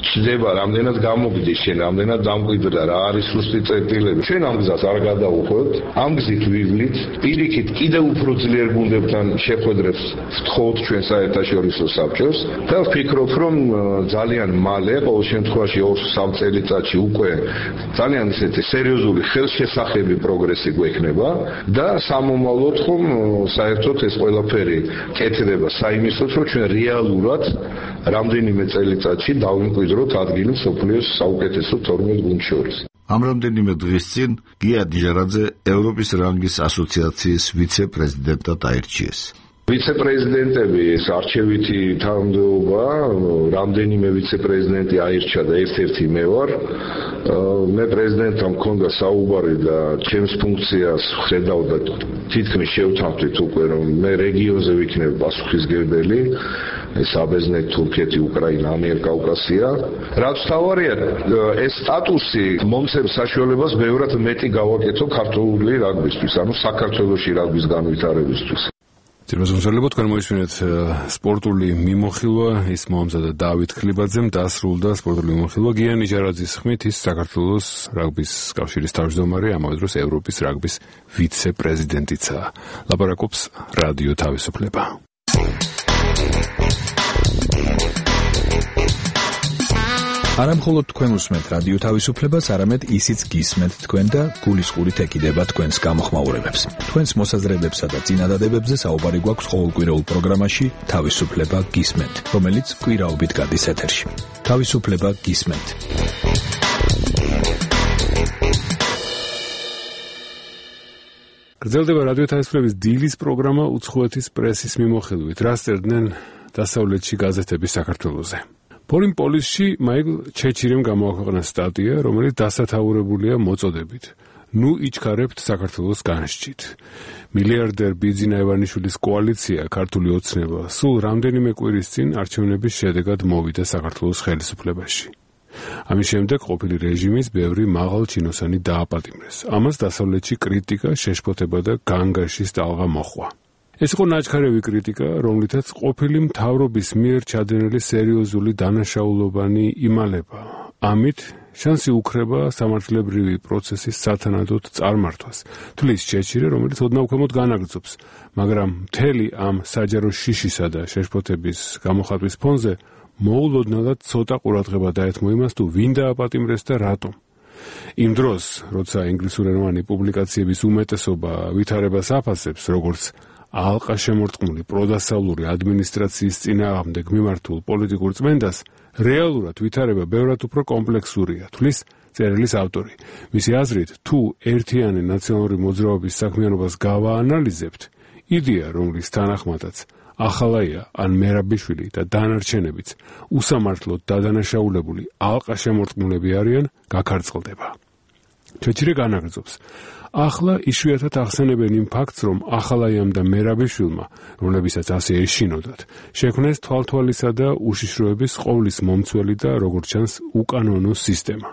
ჩდება, რამდენად გამოგდის შენ, რამდენად დამკვიდრდა, რა არის სუსტი წერტილები. ჩვენ ამ გზას არ გადავუხვევთ, ამ გზით ვივლით, პირიქით კიდევ უფრო ძლიერ გუნდებთან შეხვედრებს ვთხოვთ ჩვენ საერთაშორისო საბჭოს და ვფიქრობ, რომ ძალიან მალე, ყოველ შემთხვევაში ორ სამ წელიწადში უკვე ძალიან ისეთი სერიოზული ხელშესახები პროგრესი გვექნება და სამომავლოდ ხომ საერთოდ ეს ყველაფერი კეთდება საიმისოდ, რომ ჩვენ რეალურად რამდენიმე წელიწადში დავიმკვიდროთ ადგილი მსოფლიოს საუკეთესო თორმეტ გუნდს შორის. ამ რამდენიმე დღის წინ გია დიჟარაძე ევროპის რანგის ასოციაციის ვიცე-პრეზიდენტად აირჩიეს. ვიცე-პრეზიდენტები ეს არჩევითი თანამდებობა, რამდენიმე ვიცე-პრეზიდენტი აირჩა და ერთ-ერთი მე ვარ. მე პრეზიდენტთან მქონდა საუბარი და ჩემს ფუნქციას ხედავდა თითქმის შევთანხმდით უკვე, რომ მე რეგიონზე ვიქნებ პასუხისმგებელი. საბერძნეთ, თურქეთი, უკრაინა, ამიერკავკასია. რაც თავარია, ეს სტატუსი მომცემს საშუალებას ბევრად მეტი გავაკეთო ქართული რაგბისთვის, ანუ საქართველოში რაგბის განვითარებისთვის. ძირმოსმცველებო, თქვენ მოისმინეთ სპორტული მიმოხილვა, ის მოამზადა დავით ქლიბაძემ, დასრულდა სპორტული მიმოხილვა გია ნიჟარაძის ხმით, ის საქართველოს რაგბის კავშირის თავმჯდომარე, ამავე დროს ევროპის რაგბის ვიცე-პრეზიდენტიცაა. ლაპარაკობს რადიო თავისუფლება. არა მხოლოდ თქვენ უსმენთ რადიო თავისუფლებას, არამედ ისიც გისმენთ თქვენ და გულისყურით ეკიდება თქვენს გამოხმაურებებს. თქვენს მოსაზრებებსა და წინადადებებზე საუბარი გვაქვს ყოველკვირეულ პროგრამაში თავისუფლება გისმენთ, რომელიც კვირაობით გადის ეთერში. თავისუფლება გისმენთ. გრძელდება რადიო თავისუფლების დილის პროგრამა უცხოეთის პრესის მიმოხილვით. რას წერდნენ დასავლეთში გაზეთები საქართველოზე. ფორინ პოლისში მაიკლ ჩეჩირემ გამოაქვეყნა სტატია, რომელიც დასათაურებულია მოწოდებით. ნუ იჩქარებთ საქართველოს განშჩით. მილიარდერ ბიძინა ივანიშვილის კოალიცია ქართული ოცნება სულ რამდენიმე კვირის წინ არჩევნების შედეგად მოვიდა საქართველოს ხელისუფლებაში. ამის შემდეგ ყოფილი რეჟიმის ბევრი მაღალჩინოსანი დააპატიმრეს. ამას დასავლეთში კრიტიკა, შეშფოთება და განგაშის ტალღა მოჰყვა. ეს იყო ნაჩქარევი კრიტიკა, რომლითაც ყოფილი მთავრობის მიერ ჩადენილი სერიოზული დანაშაულობანი იმალება. ამით შანსი უქრება სამართლებრივი პროცესის სათანადოდ წარმართვას. თვლის ჩეჩირე, რომელიც ოდნავ-ქვემოთ განაგრძობს, მაგრამ მთელი ამ საჯარო შიშისა და შეშფოთების გამოხატვის ფონზე მოულოდნელად ცოტა ყურადღება დაეთმო იმას, თუ ვინ დააპატიმრეს და რატომ. იმ დროს, როცა ინგლისურენოვანი პუბლიკაციების უმეტესობა ვითარებას აფასებს, როგორც ალყაშემორტყმული პროდასავლური ადმინისტრაციის წინააღმდეგ მიმართულ პოლიტიკურ წმენდას, რეალურად ვითარება ბევრად უფრო კომპლექსურია, თვლის წერილის ავტორი. მისი აზრით, თუ ერთიანი ნაციონალური მოძრაობის საქმიანობას გავაანალიზებთ, იდეა, რომლის თანახმადაც ახალაია ან მერაბიშვილი და დანარჩენებიც უსამართლოდ დადანაშაულებული ალყაშემორტყმულები არიან, გაქარწყლდება. ჩეჩირე განაგრძობს. ახლა იშვიათად ახსენებენ იმ ფაქტს, რომ ახალაიამ და მერაბიშვილმა, რომლებისაც ასე ეშინოდათ, შექმნეს თვალთვალისა და უშიშროების ყოვლის მომცველი და როგორც ჩანს უკანონო სისტემა.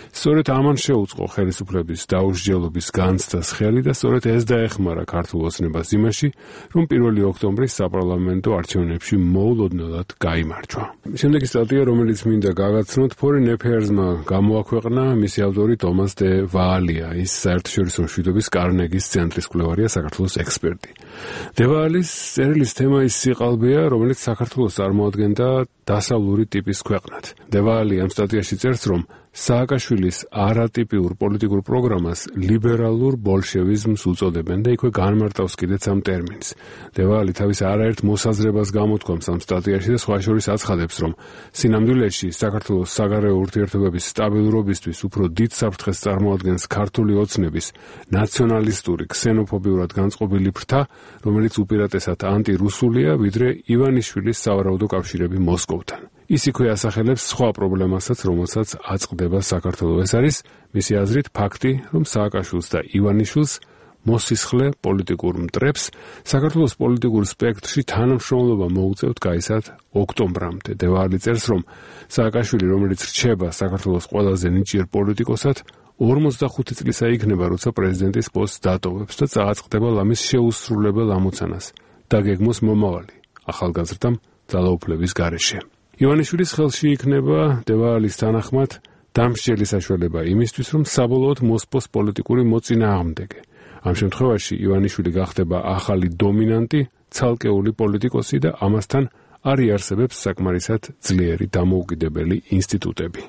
სწორედ ამან შეუწყო ხელისუფლების დაუსჯელობის განცდას ხელი და სწორედ ეს დაეხმარა ქართულ ოცნებას იმაში, რომ პირველი ოქტომბრის საპარლამენტო არჩევნებში მოულოდნელად გაიმარჯვა. შემდეგი სტატია, რომელიც მინდა გაგაცნოთ, Foreign Affairs-მა გამოაქვეყნა მისი ავტორი ტომას დე ვაალია, ის საერთაშორისო მშვიდობის კარნეგის ცენტრის კვლევარია, საქართველოს ექსპერტი. დევალის წერილის თემა ის სიყალბეა, რომელიც საქართველოს წარმოადგენდა დასავლური ტიპის ქვეყნად. დევალი ამ სტატიაში წერს, რომ სააკაშვილის არატიპიურ პოლიტიკურ პროგრამას ლიბერალურ ბოლშევიზმს უწოდებენ და იქვე განმარტავს კიდეც ამ ტერმინს. დევალი თავის არაერთ მოსაზრებას გამოთქვამს ამ სტატიაში და სხვა შორის აცხადებს, რომ სინამდვილეში საქართველოს საგარეო ურთიერთობების სტაბილურობისთვის უფრო დიდ საფრთხეს წარმოადგენს ქართული ოცნების ნაციონალისტური, ქსენოფობიურად განწყობილი ფრთა, რომელიც უპირატესად ანტირუსულია, ვიდრე ივანიშვილის სავარაუდო კავშირები მოსკოვთან. ის იქვე ასახელებს სხვა პრობლემასაც, რომელსაც აწყდება საქართველოს. ეს არის მისი აზრით ფაქტი, რომ სააკაშვილს და ივანიშვილს მოსისხლე პოლიტიკურ მტრებს საქართველოს პოლიტიკურ სპექტრში თანამშრომლობა მოუწევთ გაისად ოქტომბრამდე. დევალი წერს, რომ სააკაშვილი, რომელიც რჩება საქართველოს ყველაზე ნიჭიერ პოლიტიკოსად, ორმოცდახუთი წლისა იქნება, როცა პრეზიდენტის პოსტს დატოვებს და წააწყდება ლამის შეუსრულებელ ამოცანას და გეგმოს მომავალი ახალგაზრდა ძალაუფლების გარეშე. ივანიშვილის ხელში იქნება დევალის თანახმად დამსჯელი საშუალება იმისთვის, რომ საბოლოოდ მოსპოს პოლიტიკური მოწინააღმდეგე. ამ შემთხვევაში ივანიშვილი გახდება ახალი დომინანტი, ცალკეული პოლიტიკოსი და ამასთან არ იარსებებს საკმარისად ძლიერი დამოუკიდებელი ინსტიტუტები.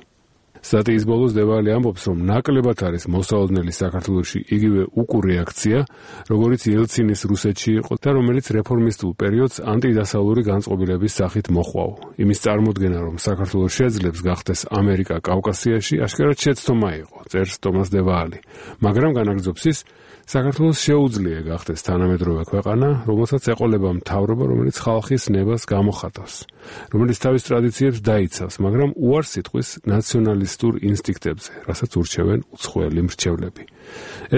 სტატიის ბოლოს დევალი ამბობს, რომ ნაკლებად არის მოსაოდნელი საქართველოში იგივე უკუ რეაქცია, როგორიც ელცინის რუსეთში იყო და რომელიც რეფორმისტულ პერიოდს ანტიდასავლური განწყობილების სახით მოხვაო. იმის წარმოდგენა, რომ საქართველოს შეძლებს გახდეს ამერიკა კავკასიაში, აშკარად შეცდომა იყო, წერს ტომას დევალი. მაგრამ განაგრძობს ის, საქართველოს შეუძლია გახდეს თანამედროვე ქვეყანა, რომელსაც ეყოლება მთავრობა, რომელიც ხალხის ნებას გამოხატავს, რომელიც თავის ტრადიციებს დაიცავს, მაგრამ უარს იტყვის ნაციონალისტურ ინსტინქტებზე, რასაც ურჩევენ უცხოელი მრჩევლები.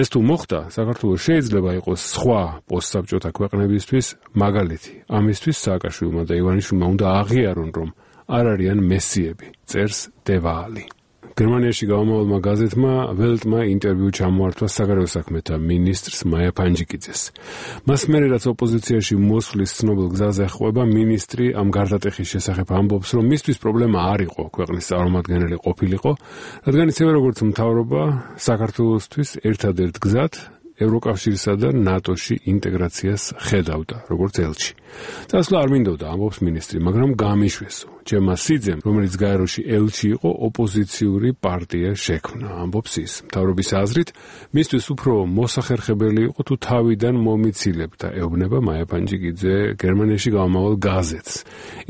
ეს თუ მოხდა, საქართველოს შეიძლება იყოს სხვა პოსტსაბჭოთა ქვეყნებისთვის მაგალითი. ამისთვის სააკაშვილმა და ივანიშვილმა უნდა აღიარონ, რომ არ არიან მესიები, წერს დევალი. გერმანიაში გამომავალმა გაზეთმა ველტმა ინტერვიუ ჩამოართვა საგარეო საქმეთა მინისტრს მაია ფანჯიკიძეს. მას მერე რაც ოპოზიციაში მოსვლის ცნობილ გზაზე ხვება, მინისტრი ამ გარდატეხის შესახებ ამბობს, რომ მისთვის პრობლემა არ იყო ქვეყნის წარმომადგენელი ყოფილიყო, რადგან ისევე როგორც მთავრობა საქართველოსთვის ერთადერთ გზად ევროკავშირსა და ნატოში ინტეგრაციას ხედავდა, როგორც ელჩი. წასვლა არ მინდოდა, ამბობს მინისტრი, მაგრამ გამიშვესო. ჩემმა სიძემ, რომელიც გაეროში ელჩი იყო, ოპოზიციური პარტია შექმნა, ამბობს ის. მთავრობის აზრით, მისთვის უფრო მოსახერხებელი იყო თუ თავიდან მომიცილებდა, ეუბნება მაია ფანჯიკიძე გერმანიაში გამომავალ გაზეთს.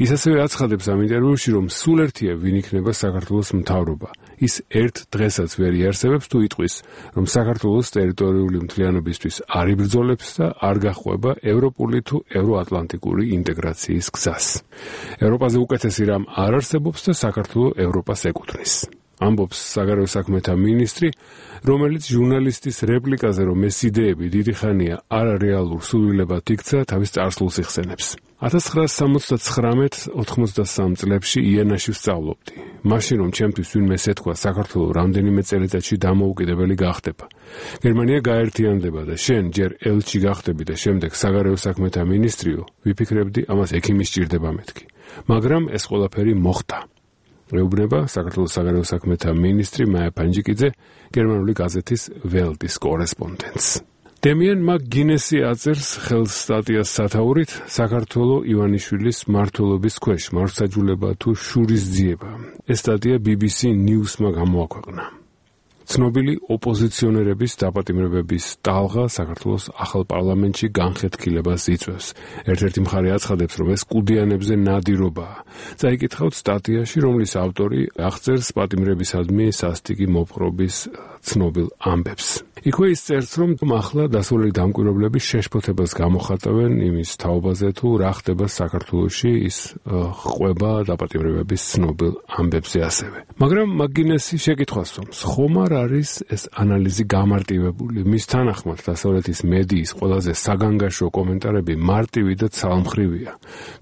ის ასევე აცხადებს ამ ინტერვიუში, რომ სულ ერთია ვინ იქნება საქართველოს მთავრობა. ის ერთ დღესაც ვერ იარსებებს თუ იტყვის, რომ საქართველოს ტერიტორიული მთლიანობისთვის არ იბრძოლებს და არ გახვება ევროპული თუ ევროატლანტიკური ინტეგრაციის გზას. ევროპაზე უკეთესი რამ არ არსებობს და საქართველოს ევროპას ეკუთვნის. ამბობს საგარეო საქმეთა მინისტრი, რომელიც ჟურნალისტის რეპლიკაზე, რომ ეს იდეები დიდი ხანია არარეალურ სულილებად იქცა, თავის წარსულს იხსენებს. ათას ცხრაასი სამოცდათხრამეტ ოცდამეტ წლებში იანაში ვსწავლობდი. მაშინ რომ ჩემთვის ვინმე ეთქვა საქართველოს რამდენიმე წელიწადში დამოუკიდებელი გახდება. გერმანია გაერთიანდება და შენ ჯერ ელჩი გახდები და შემდეგ საგარეო საქმეთა მინისტრიო, ვიფიქრებდი ამას ექიმი სჭირდება მეთქი. მაგრამ ეს ყველაფერი მოხდა. ეუბნება საქართველოს საგარეო საქმეთა მინისტრი მაია ფანჯიკიძე გერმანული გაზეთის ველტის კორესპონდენტს. დემიან მაკგინესი აწერს ხელს სტატიას სათაურით საქართველოს ივანიშვილის მმართველობის ქვეშ მართლმსაჯულება თუ შურისძიება. ეს სტატია ბი ბი სი News-მა გამოაქვეყნა. ცნობილი ოპოზიციონერების დაპატიმრებების ტალღა საქართველოს ახალ პარლამენტში განხეთქილებას იწვევს. ერთ-ერთი მხარე აცხადებს, რომ ეს კუდიანებზე ნადირობაა. წაიკითხავთ სტატიაში, რომლის ავტორი აღწერს პატიმრებისადმი სასტიკი მოპყრობის ცნობილ ამბებს. იქვე ის წერს, რომ ახლა დასავლელი დამკვირვებლები შეშფოთებას გამოხატავენ იმის თაობაზე, თუ რა ხდება საქართველოში, ის ყვება დაპატიმრებების ცნობილ ამბებზე ასევე. მაგრამ მაკგინესი შეკითხვას სვამს, ხომ არ არის ეს ანალიზი გამარტივებული? მის თანახმად დასავლეთის მედიის ყველაზე საგანგაშო კომენტარები მარტივი და ცალმხრივია.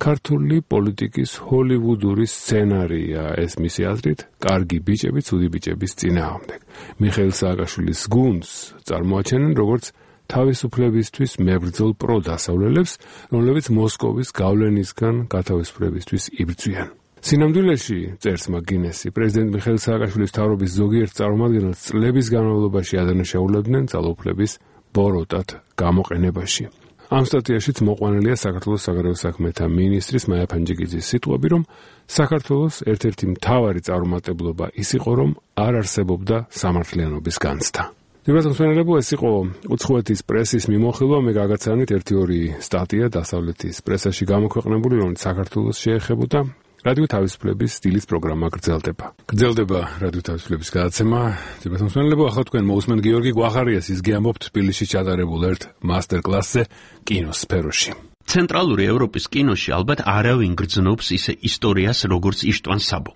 ქართული პოლიტიკის ჰოლივუდური სცენარია ეს მისი აზრით, კარგი ბიჭები ცუდი ბიჭების წინააღმდეგ. მიხეილ სააკაშვილის გუნდს წარმოაჩენენ როგორც თავისუფლებისთვის მებრძოლ პროდასავლელებს, რომლებიც მოსკოვის გავლენისგან გათავისუფლებისთვის იბრძვიან. სინამდვილეში, წერს მაკგინესი, პრეზიდენტ მიხეილ სააკაშვილის მთავრობის ზოგიერთ წარმომადგენელს წლების განმავლობაში ადანაშაულებდნენ ძალაუფლების ბოროტად გამოყენებაში. ამ სტატიაშიც მოყვანილია საქართველოს საგარეო საქმეთა მინისტრის მაია ფანჯიკიძის სიტყვები, რომ საქართველოს ერთ-ერთი მთავარი წარუმატებლობა ის იყო, რომ არ არსებობდა სამართლიანობის განცდა. დიალოგმსმენელებო, ეს იყო უცხოეთის პრესის მიმოხილვა, მე გაგაცანით ერთი-ორი სტატია დასავლეთის პრესაში გამოქვეყნებული, რომელიც საქართველოს შეეხებოდა. რადიო თავისუფლების სტილის პროგრამა გრძელდება. გრძელდება რადიო თავისუფლების გადაცემა. დიალოგმსმენელებო, ახლა თქვენ მოусმენთ გიორგი გვახარიას, ის გიამბობთ თბილისში ჩატარებულ ერთ მასტერკლასზე კინოს სფეროში. ცენტრალური ევროპის კინოში ალბათ არავინ გრძნობს ისე ისტორიას, როგორც იშტვან საბო.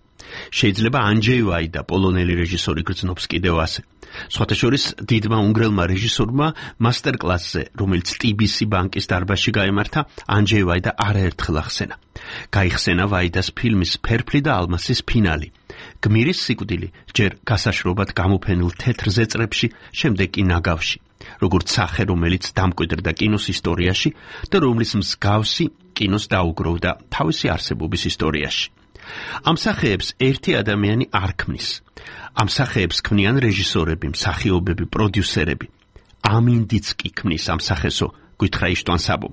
შეიძლება ანჯეი ვაიდა, პოლონელი რეჟისორი გრძნობს კიდევ ასე. სხვათა შორის დიდმა უნგრელმა რეჟისორმა მასტერკლასზე, რომელიც ტი ბი სი ბანკის დარბაზში გაემართა, ანჯეი ვაიდა არაერთხელ ახსენა. გაიხსენა ვაიდას ფილმის „ფერფლი და ალმასის“ ფინალი. გმირის სიკვდილი ჯერ გასაშრობად გამოფენილ თეთრ ზეწრებში, შემდეგ კი ნაგავში. როგორც სახე, რომელიც დამკვიდრდა კინოს ისტორიაში და რომლის მსგავსი კინოს დაუგროვდა თავისი არსებობის ისტორიაში. ამ სახეებს ერთი ადამიანი არ ქმნის. ამ სახეებს ქმნიან რეჟისორები, მსახიობები, პროდიუსერები. ამინდიც კი ქმნის ამ სახესო, გითხრა იშტვან საბომ.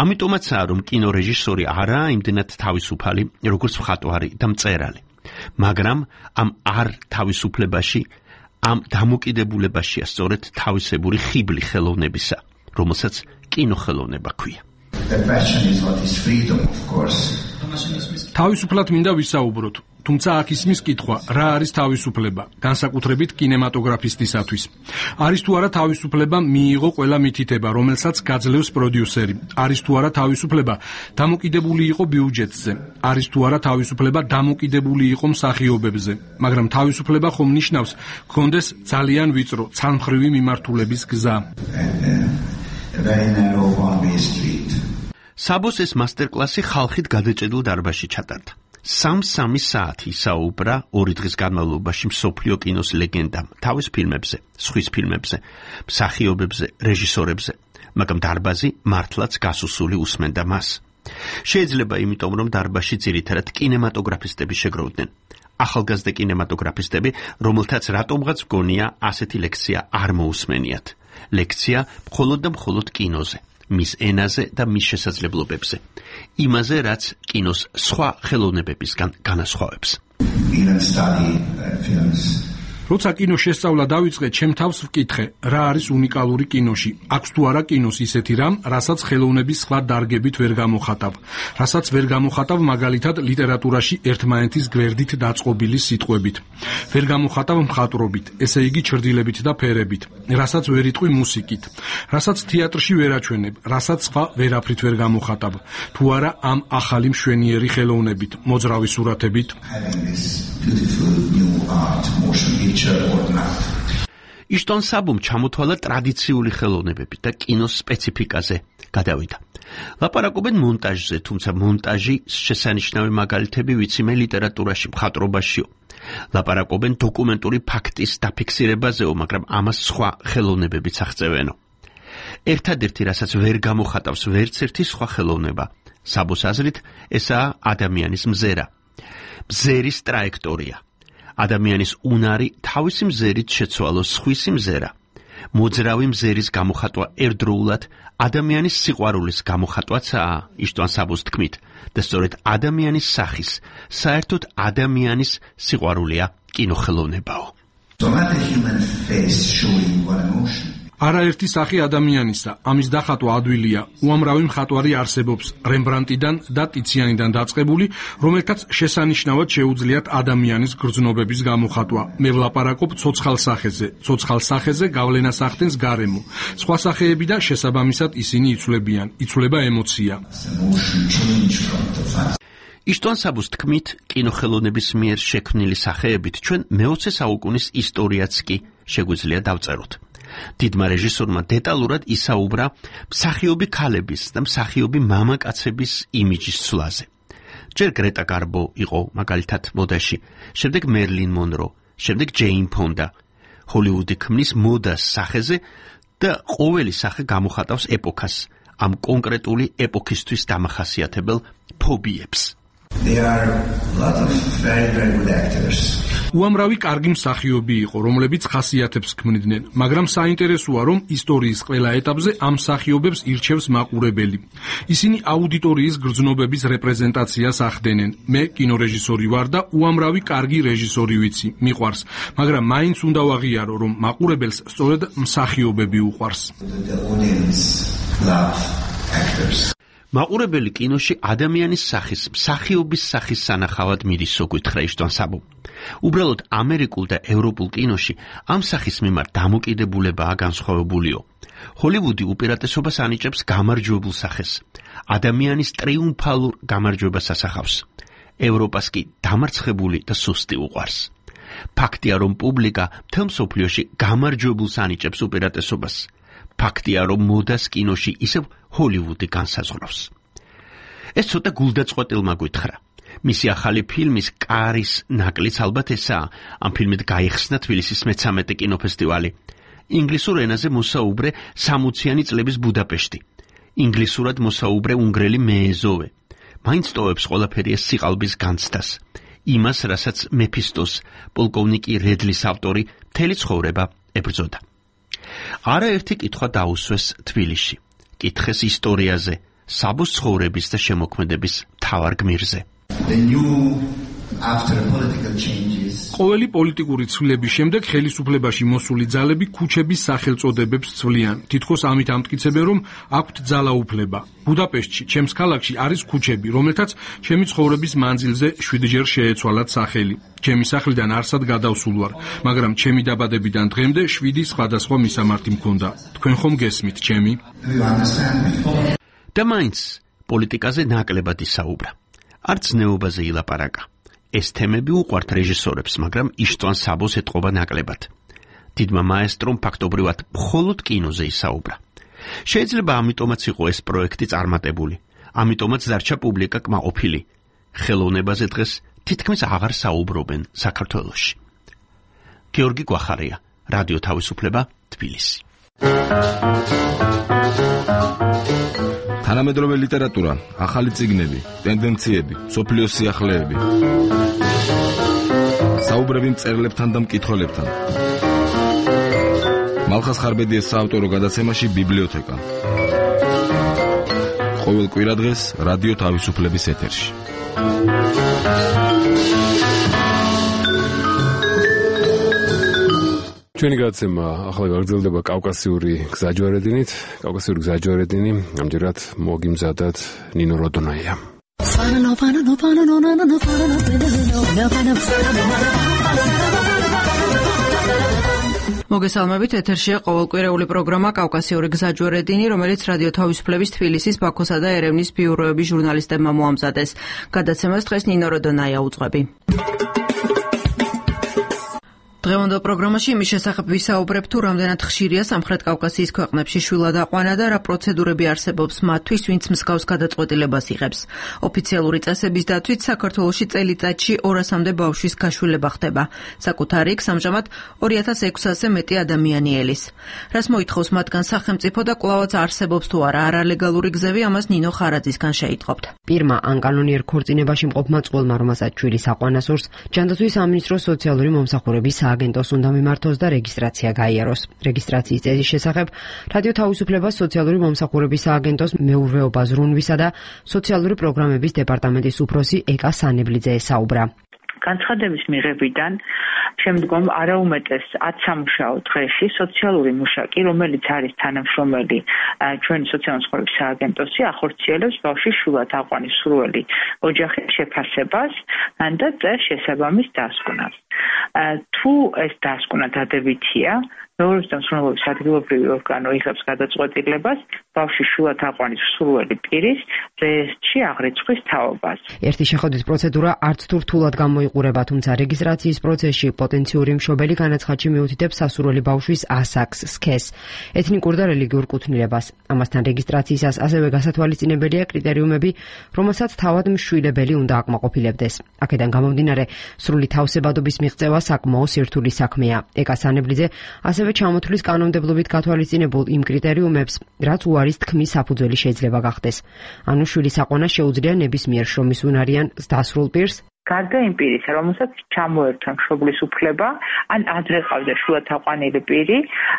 ამიტომაცაა, რომ კინორეჟისორი არაა იმდენად თავისუფალი, როგორც მხატვარი და მწერალი. მაგრამ ამ არ თავისუფლებაში, ამ დამოკიდებულებაშია სწორედ თავისებური ხიბლი ხელოვნებისა, რომელსაც კინოხელოვნება ქვია. თავისუფლად მინდა ვისაუბროთ, თუმცა აქ ისმის კითხვა, რა არის თავისუფლება, განსაკუთრებით კინემატოგრაფისტისათვის. არის თუ არა თავისუფლება მიიღო ყველა მითითება, რომელსაც გაძლევს პროდიუსერი. არის თუ არა თავისუფლება დამოკიდებული იყო ბიუჯეტზე. არის თუ არა თავისუფლება დამოკიდებული იყო მსახიობებზე. მაგრამ თავისუფლება ხომ ნიშნავს, გქონდეს ძალიან ვიწრო, ცალმხრივი მიმართულების გზა. საბოს ეს მასტერკლასი ხალხით გადაჭედილ დარბაზში ჩატარდა. სამ-სამი საათი ისაუბრა ორი დღის განმავლობაში მსოფლიო კინოს ლეგენდამ, თავის ფილმებზე, სხვის ფილმებზე, მსახიობებზე, რეჟისორებზე, მაგრამ დარბაზი მართლაც გასუსული უსმენდა მას. შეიძლება იმიტომ, რომ დარბაზში ძირითადად კინემატოგრაფისტები შეგროვდნენ. ახალგაზრდა კინემატოგრაფისტები, რომელთაც რატომღაც გონია ასეთი ლექცია არ მოусმენიათ. ლექცია მხოლოდ და მხოლოდ კინოზე. მის ენაზე და მის შესაძლებლობებზე. იმაზე, რაც კინოს სხვა ხელოვნებებისგან განასხვავებს. როცა კინოს შესწავლა დავიწყე, ჩემ თავს ვკითხე, რა არის უნიკალური კინოში. აქვს თუ არა კინოს ისეთი რამ, რასაც ხელოვნების სხვა დარგებით ვერ გამოხატავ. რასაც ვერ გამოხატავ მაგალითად ლიტერატურაში ერთმანეთის გვერდით დაწყობილი სიტყვებით. ვერ გამოხატავ მხატვრობით, ესე იგი ჩრდილებით და ფერებით. რასაც ვერ იტყვი მუსიკით. რასაც თეატრში ვერ აჩვენებ, რასაც სხვა ვერაფრით ვერ გამოხატავ. თუ არა ამ ახალი მშვენიერი ხელოვნებით, მოძრავი სურათებით. იშტვან საბომ ჩამოთვალა ტრადიციული ხელოვნებები და კინოს სპეციფიკაზე გადავიდა. ლაპარაკობენ მონტაჟზე, თუმცა მონტაჟი შესანიშნავი მაგალითები ვიციმე ლიტერატურაში, მხატვრობაშიო. ლაპარაკობენ დოკუმენტური ფაქტის დაფიქსირებაზეო, მაგრამ ამას სხვა ხელოვნებებიც აღწევენო. ერთადერთი, რასაც ვერ გამოხატავს ვერც ერთი სხვა ხელოვნება, საბოს აზრით, ესაა ადამიანის მზერა. მზერის ტრაექტორია. ადამიანის უნარი თავისი მზერით შეცვალოს სხვისი მზერა. მოძრავი მზერის გამოხატვა ერთდროულად ადამიანის სიყვარულის გამოხატვაცაა, იშტვან საბოს თქმით, და სწორედ ადამიანის სახის, საერთოდ ადამიანის სიყვარულია კინოხელოვნებაო. არაერთი სახე ადამიანისა, ამის დახატვა ადვილია. უამრავი მხატვარი არსებობს, რემბრანდტიდან და ტიციანიდან დაწყებული, რომელთაც შესანიშნავად შეუძლიათ ადამიანის გრძნობების გამოხატვა. მე ვლაპარაკობ ცოცხალ სახეზე, ცოცხალ სახეზე გავლენას ახდენს გარემო. სხვა სახეები და შესაბამისად ისინი იცვლებიან, იცვლება ემოცია. იშტვან საბოს თქმით, კინოხელოვნების მიერ შექმნილი სახეებით ჩვენ მეოცე საუკუნის ისტორიაც კი შეგვიძლია დავწეროთ. დიდმა რეჟისორმა დეტალურად ისაუბრა მსახიობი ქალების და მსახიობი მამაკაცების იმიჯის ცვლაზე. ჯერ გრეტა გარბო იყო მაგალითად მოდაში, შემდეგ მერლინ მონრო, შემდეგ ჯეინ ფონდა. ჰოლივუდი ქმნის მოდას სახეზე და ყოველი სახე გამოხატავს ეპოქას, ამ კონკრეტული ეპოქისთვის დამახასიათებელ ფობიებს. There are a lot of very very good actors. უამრავი კარგი მსახიობი იყო, რომლებიც ხასიათებს ქმნიდნენ, მაგრამ საინტერესოა, რომ ისტორიის ყველა ეტაპზე ამ მსახიობებს ირჩევს მაყურებელი. ისინი აუდიტორიის გრძნობების რეპრეზენტაციას ახდენენ. მე კინორეჟისორი ვარ და უამრავი კარგი რეჟისორი ვიცი, მიყვარს, მაგრამ მაინც უნდა ვაღიარო, რომ მაყურებელს სწორედ მსახიობები უყვარს. მაყურებელი კინოში ადამიანის სახის, მსახიობის სახის სანახავად მიდის, სოგვითხრა იშტვან საბო. უბრალოდ ამერიკულ და ევროპულ კინოში ამ სახის მიმართ დამოკიდებულებაა განსხვავებულიო. ჰოლივუდი უპირატესობას ანიჭებს გამარჯვებულ სახეს. ადამიანის ტრიუმფალურ გამარჯვებას ასახავს. ევროპას კი დამარცხებული და სუსტი უყვარს. ფაქტია, რომ პუბლიკა მთელ მსოფლიოში გამარჯვებულს ანიჭებს უპირატესობას. ფაქტია, რომ მოდას კინოში ისევ ჰოლივუდი განსაზღვრავს. ეს ცოტა გულდაწყვეტილმა გვითხრა. მისი ახალი ფილმის კარის ნაკლიც ალბათ ესაა. ამ ფილმით გაიხსნა თბილისის მეცამეტე კინოფესტივალი. ინგლისურ ენაზე მოსაუბრე სამოციანი წლების ბუდაპეშტი. ინგლისურად მოსაუბრე უნგრელი მეეზოვე. მაინც ტოვებს ყველაფერი ეს სიყალბის განცდას. იმას, რასაც მეფისტოს, პოლკოვნიკი რედლის ავტორი მთელი ცხოვრება ებრძოდა. არაერთი კითხვა დაუსვეს თბილისში. კითხეს ისტორიაზე, საბოს ცხოვრების და შემოქმედების მთავარ გმირზე. ყოველი პოლიტიკური ცვლილების შემდეგ ხელისუფლებაში მოსული ძალები ქუჩების სახელწოდებებს ცვლიან. თითქოს ამით ამტკიცებენ, რომ აქვთ ძალაუფლება. ბუდაპეშტში, ჩემს ქალაქში არის ქუჩები, რომელთაც ჩემი ცხოვრების მანძილზე შვიდჯერ შეეცვალათ სახელი. ჩემი სახლიდან არსად გადავსულ ვარ, მაგრამ ჩემი დაბადებიდან დღემდე შვიდი სხვადასხვა მისამართი მქონდა. თქვენ ხომ გესმით, ჩემი? და მაინც პოლიტიკაზე ნაკლებად ისაუბრა. არც ნეობაზე ილაპარაკა. ეს თემები უყვართ რეჟისორებს, მაგრამ იშტვან საბოს ეტყობა ნაკლებად. დიდმა მაესტრომ ფაქტობრივად მხოლოდ კინოზე ისაუბრა. შეიძლება ამიტომაც იყო ეს პროექტი წარმატებული. ამიტომაც დარჩა პუბლიკა კმაყოფილი. ხელოვნებაზე დღეს თითქმის აღარ საუბრობენ საქართველოში. გიორგი გვახარია, რადიო თავისუფლება, თბილისი. თანამედროვე ლიტერატურა, ახალი წიგნები, ტენდენციები, სოფლიოს სიახლეები. საუბრები მწერლებთან და მკითხველებთან. მალხას ხარბედიეს საავტორო გადაცემაში ბიბლიოთეკა. ყოველ კვირადღეს რადიო თავისუფლების ეთერში. ჩვენი გადაცემა ახლა გაგრძელდება კავკასიური გზაჯვარედინით. კავკასიური გზაჯვარედინი ამჯერად მოგიმზადათ ნინო როდონაია. მოგესალმებით, ეთერშია ყოველკვირეული პროგრამა კავკასიური გზაჯვარედინი, რომელიც რადიო თავისუფლების თბილისის, ბაქოსა და ერევნის ბიუროების ჟურნალისტებმა მოამზადეს. გადაცემას დღეს ნინო როდონაია უძღვები. დღევანდელ პროგრამაში იმის შესახებ ვისაუბრებ, თუ რამდენად ხშირია სამხრეთ კავკასიის ქვეყნებში შვილადაყვანა და რა პროცედურები არსებობს მათთვის, ვინც მსგავს გადაწყვეტილებას იღებს. ოფიციალური წესების დათვით საქართველოში წელიწადში ორასამდე ბავშვის გაშვილება ხდება. საკუთარი იქ ამჟამად ორი ათას ექვსასზე მეტი ადამიანი ელის. რას მოითხოვს მათგან სახელმწიფო და კვლავაც არსებობს თუ არა არალეგალური გზები, ამას ნინო ხარაძისგან შეიტყობთ. პირმა ან კანონიერ ქორწინებაში მყოფმა წყვილმა, რომელსაც შვილი საყვანას სურს, ჯანდაცვის სამინისტროს სოციალური მომსახურების აგენტოს უნდა მიმართოს და რეგისტრაცია გაიაროს. რეგისტრაციის წესის შესახებ რადიო თავისუფლებას სოციალური მომსახურების აგენტოს მეურვეობა ზრუნვისა და სოციალური პროგრამების დეპარტამენტის უფროსი ეკა სანებლიძე ესაუბრა. განცხადების მიღებიდან შემდგომ არაუმეტეს ათი სამუშაო დღეში სოციალური მუშაკი, რომელიც არის თანამშრომელი ჩვენი სოციალური მომსახურების სააგენტოსი, ახორციელებს ბავშვის შვილადაყვანის სურვილი ოჯახის შეფასებას და წერს შესაბამის დასკვნას. თუ ეს დასკვნა დადებითია, მეურვეობის და მსხვილობის ადგილობრივი ორგანო იღებს გადაწყვეტილებას ბავშვის შვილადაყვანის სურვილი პირის რეესტრში აღრიცხვის თაობას. ერთი შეხვედრის პროცედურა არც თუ რთულად გამოიყურება, თუმცა რეგისტრაციის პროცესში პოტენციური მშობელი განაცხადში მიუთითებს სასურველი ბავშვის ასაკს, სქესს, ეთნიკურ და რელიგიურ კუთვნილებას. ამასთან რეგისტრაციისას ასევე გასათვალისწინებელია კრიტერიუმები, რომელსაც თავად მშვილებელი უნდა აკმაყოფილებდეს. აქედან გამომდინარე, სრული თავსებადობის მიღწევა საკმაო სირთული საქმეა. ეკა სანებლიძე ასევე ჩამოთვლის კანონმდებლობით გათვალისწინებულ იმ კრიტერიუმებს, რაც უარის თქმის საფუძველი შეიძლება გახდეს. ანუ შვილის აყვანა შეუძლია ნებისმიერ შრომის უნარიან დასრულ პირს, გარდა იმ პირისა, რომელსაც ჩამოერთვა მშობლის უფლება, ან ადრე ყავდა შვილად აყვანილი პირი,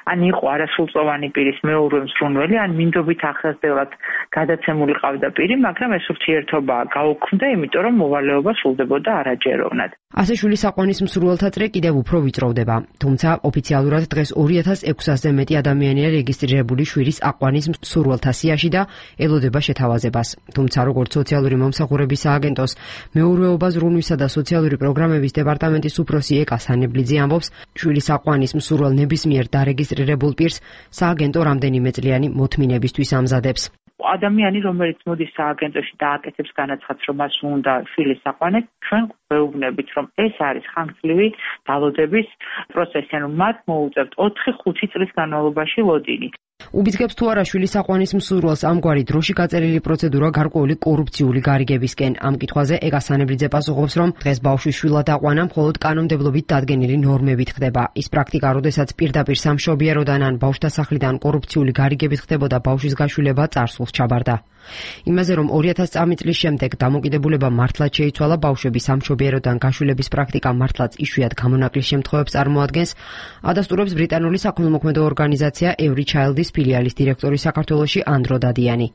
ან იყო არასრულწლოვანი პირის მეორე მზრუნველი, ან მინდობით ახსნელად გადაცემული ყავდა პირი, მაგრამ ეს ურთიერთობა გაუქმდა, იმიტომ რომ მოვალეობა სრულდებოდა არაჯეროვნად. ასე შვილის აყვანის მსურველთა წრე კიდევ უფრო ვიწროვდება, თუმცა ოფიციალურად დღეს ორი ათას ექვსასზე მეტი ადამიანია რეგისტრირებული შვილის აყვანის მსურველთა სიაში და ელოდება შეთავაზებას. თუმცა როგორც სოციალური მომსახურების სააგენტოს მეურვეობა ზრუნვისა და სოციალური პროგრამების დეპარტამენტის უფროსი ეკა სანებლიძე ამბობს, შვილის აყვანის მსურველ ნებისმიერ დარეგისტრირებულ პირს სააგენტო რამდენიმე წლიანი მოთმინებისთვის ამზადებს. ადამიანი, რომელიც მოდის სააგენტოში და აკეთებს განაცხადს, რომ მას უნდა შვილის აყვანა, ჩვენ გვეუბნებით, რომ ეს არის ხანგრძლივი დალოდების პროცესი, ანუ მათ მოუწევთ ოთხი ხუთი წლის განმავლობაში ლოდინი. უბიძგებს თუ არა შვილის აყვანის მსურველს ამგვარი დროში გაწერილი პროცედურა გარკვეული კორუფციული გარიგებისკენ. ამ კითხვაზე ეკა სანებლიძე პასუხობს, რომ დღეს ბავშვის შვილად აყვანა მხოლოდ კანონმდებლობით დადგენილი ნორმებით ხდება. ის პრაქტიკა, როდესაც პირდაპირ სამშობიაროდან ან ბავშვდასახლიდან კორუფციული გარიგებით ხდებოდა ბავშვის გაშვილება, წარსულს ჩაბარდა. იმაზე, რომ ორი ათას წლის შემდეგ დამოკიდებულება მართლაც შეიცვალა, ბავშვების სამშობიაროდან გაშვილების პრაქტიკა მართლაც იშვიათ გამონაკლის შემთხვევებს წარმოადგენს, ადასტურებს ბრიტანული საქველმოქმედო ორგანიზაცია Every Child's ფილიალის დირექტორი საქართველოში ანდრო დადიანი.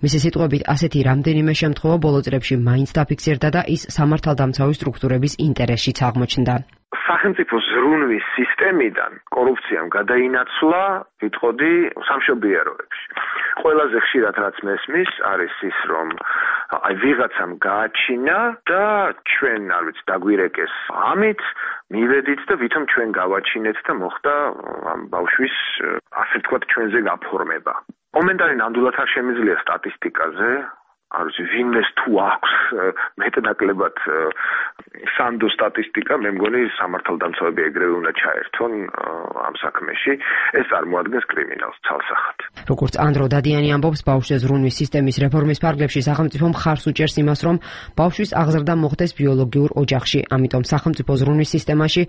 მისი სიტყვებით, ასეთი რამდენიმე შემთხვევა ბოლო წლებში მაინც დაფიქსირდა და ის სამართალდამცავი სტრუქტურების ინტერესშიც აღმოჩნდა. სახელმწიფო ზრუნვის სისტემიდან კორუფციამ გადაინაცვლა, ვიტყოდი, სამშობიაროებში. ყველაზე ხშირად რაც მესმის არის ის, რომ აი ვიღაცამ გააჩინა და ჩვენ, არ ვიცი, დაგვირეკეს ამით, მივედით და ვითომ ჩვენ გავაჩინეთ და მოხდა ამ ბავშვის, ასე ვთქვათ, ჩვენზე გაფორმება. მომენტარი ნამდვილად არ შემიძლია სტატისტიკაზე, არ ვიცი, ვინმეს თუ აქვს მეტნაკლებად სანდო სტატისტიკა, მე მგონი სამართალდამცავები ეგრევე უნდა ჩაერთონ ამ საქმეში, ეს წარმოადგენს კრიმინალს ცალსახად. როგორც ანდრო დადიანი ამბობს, ბავშვზე ზრუნვის სისტემის რეფორმის ფარგლებში სახელმწიფო მხარს უჭერს იმას, რომ ბავშვის აღზრდა მოხდეს ბიოლოგიურ ოჯახში, ამიტომ სახელმწიფო ზრუნვის სისტემაში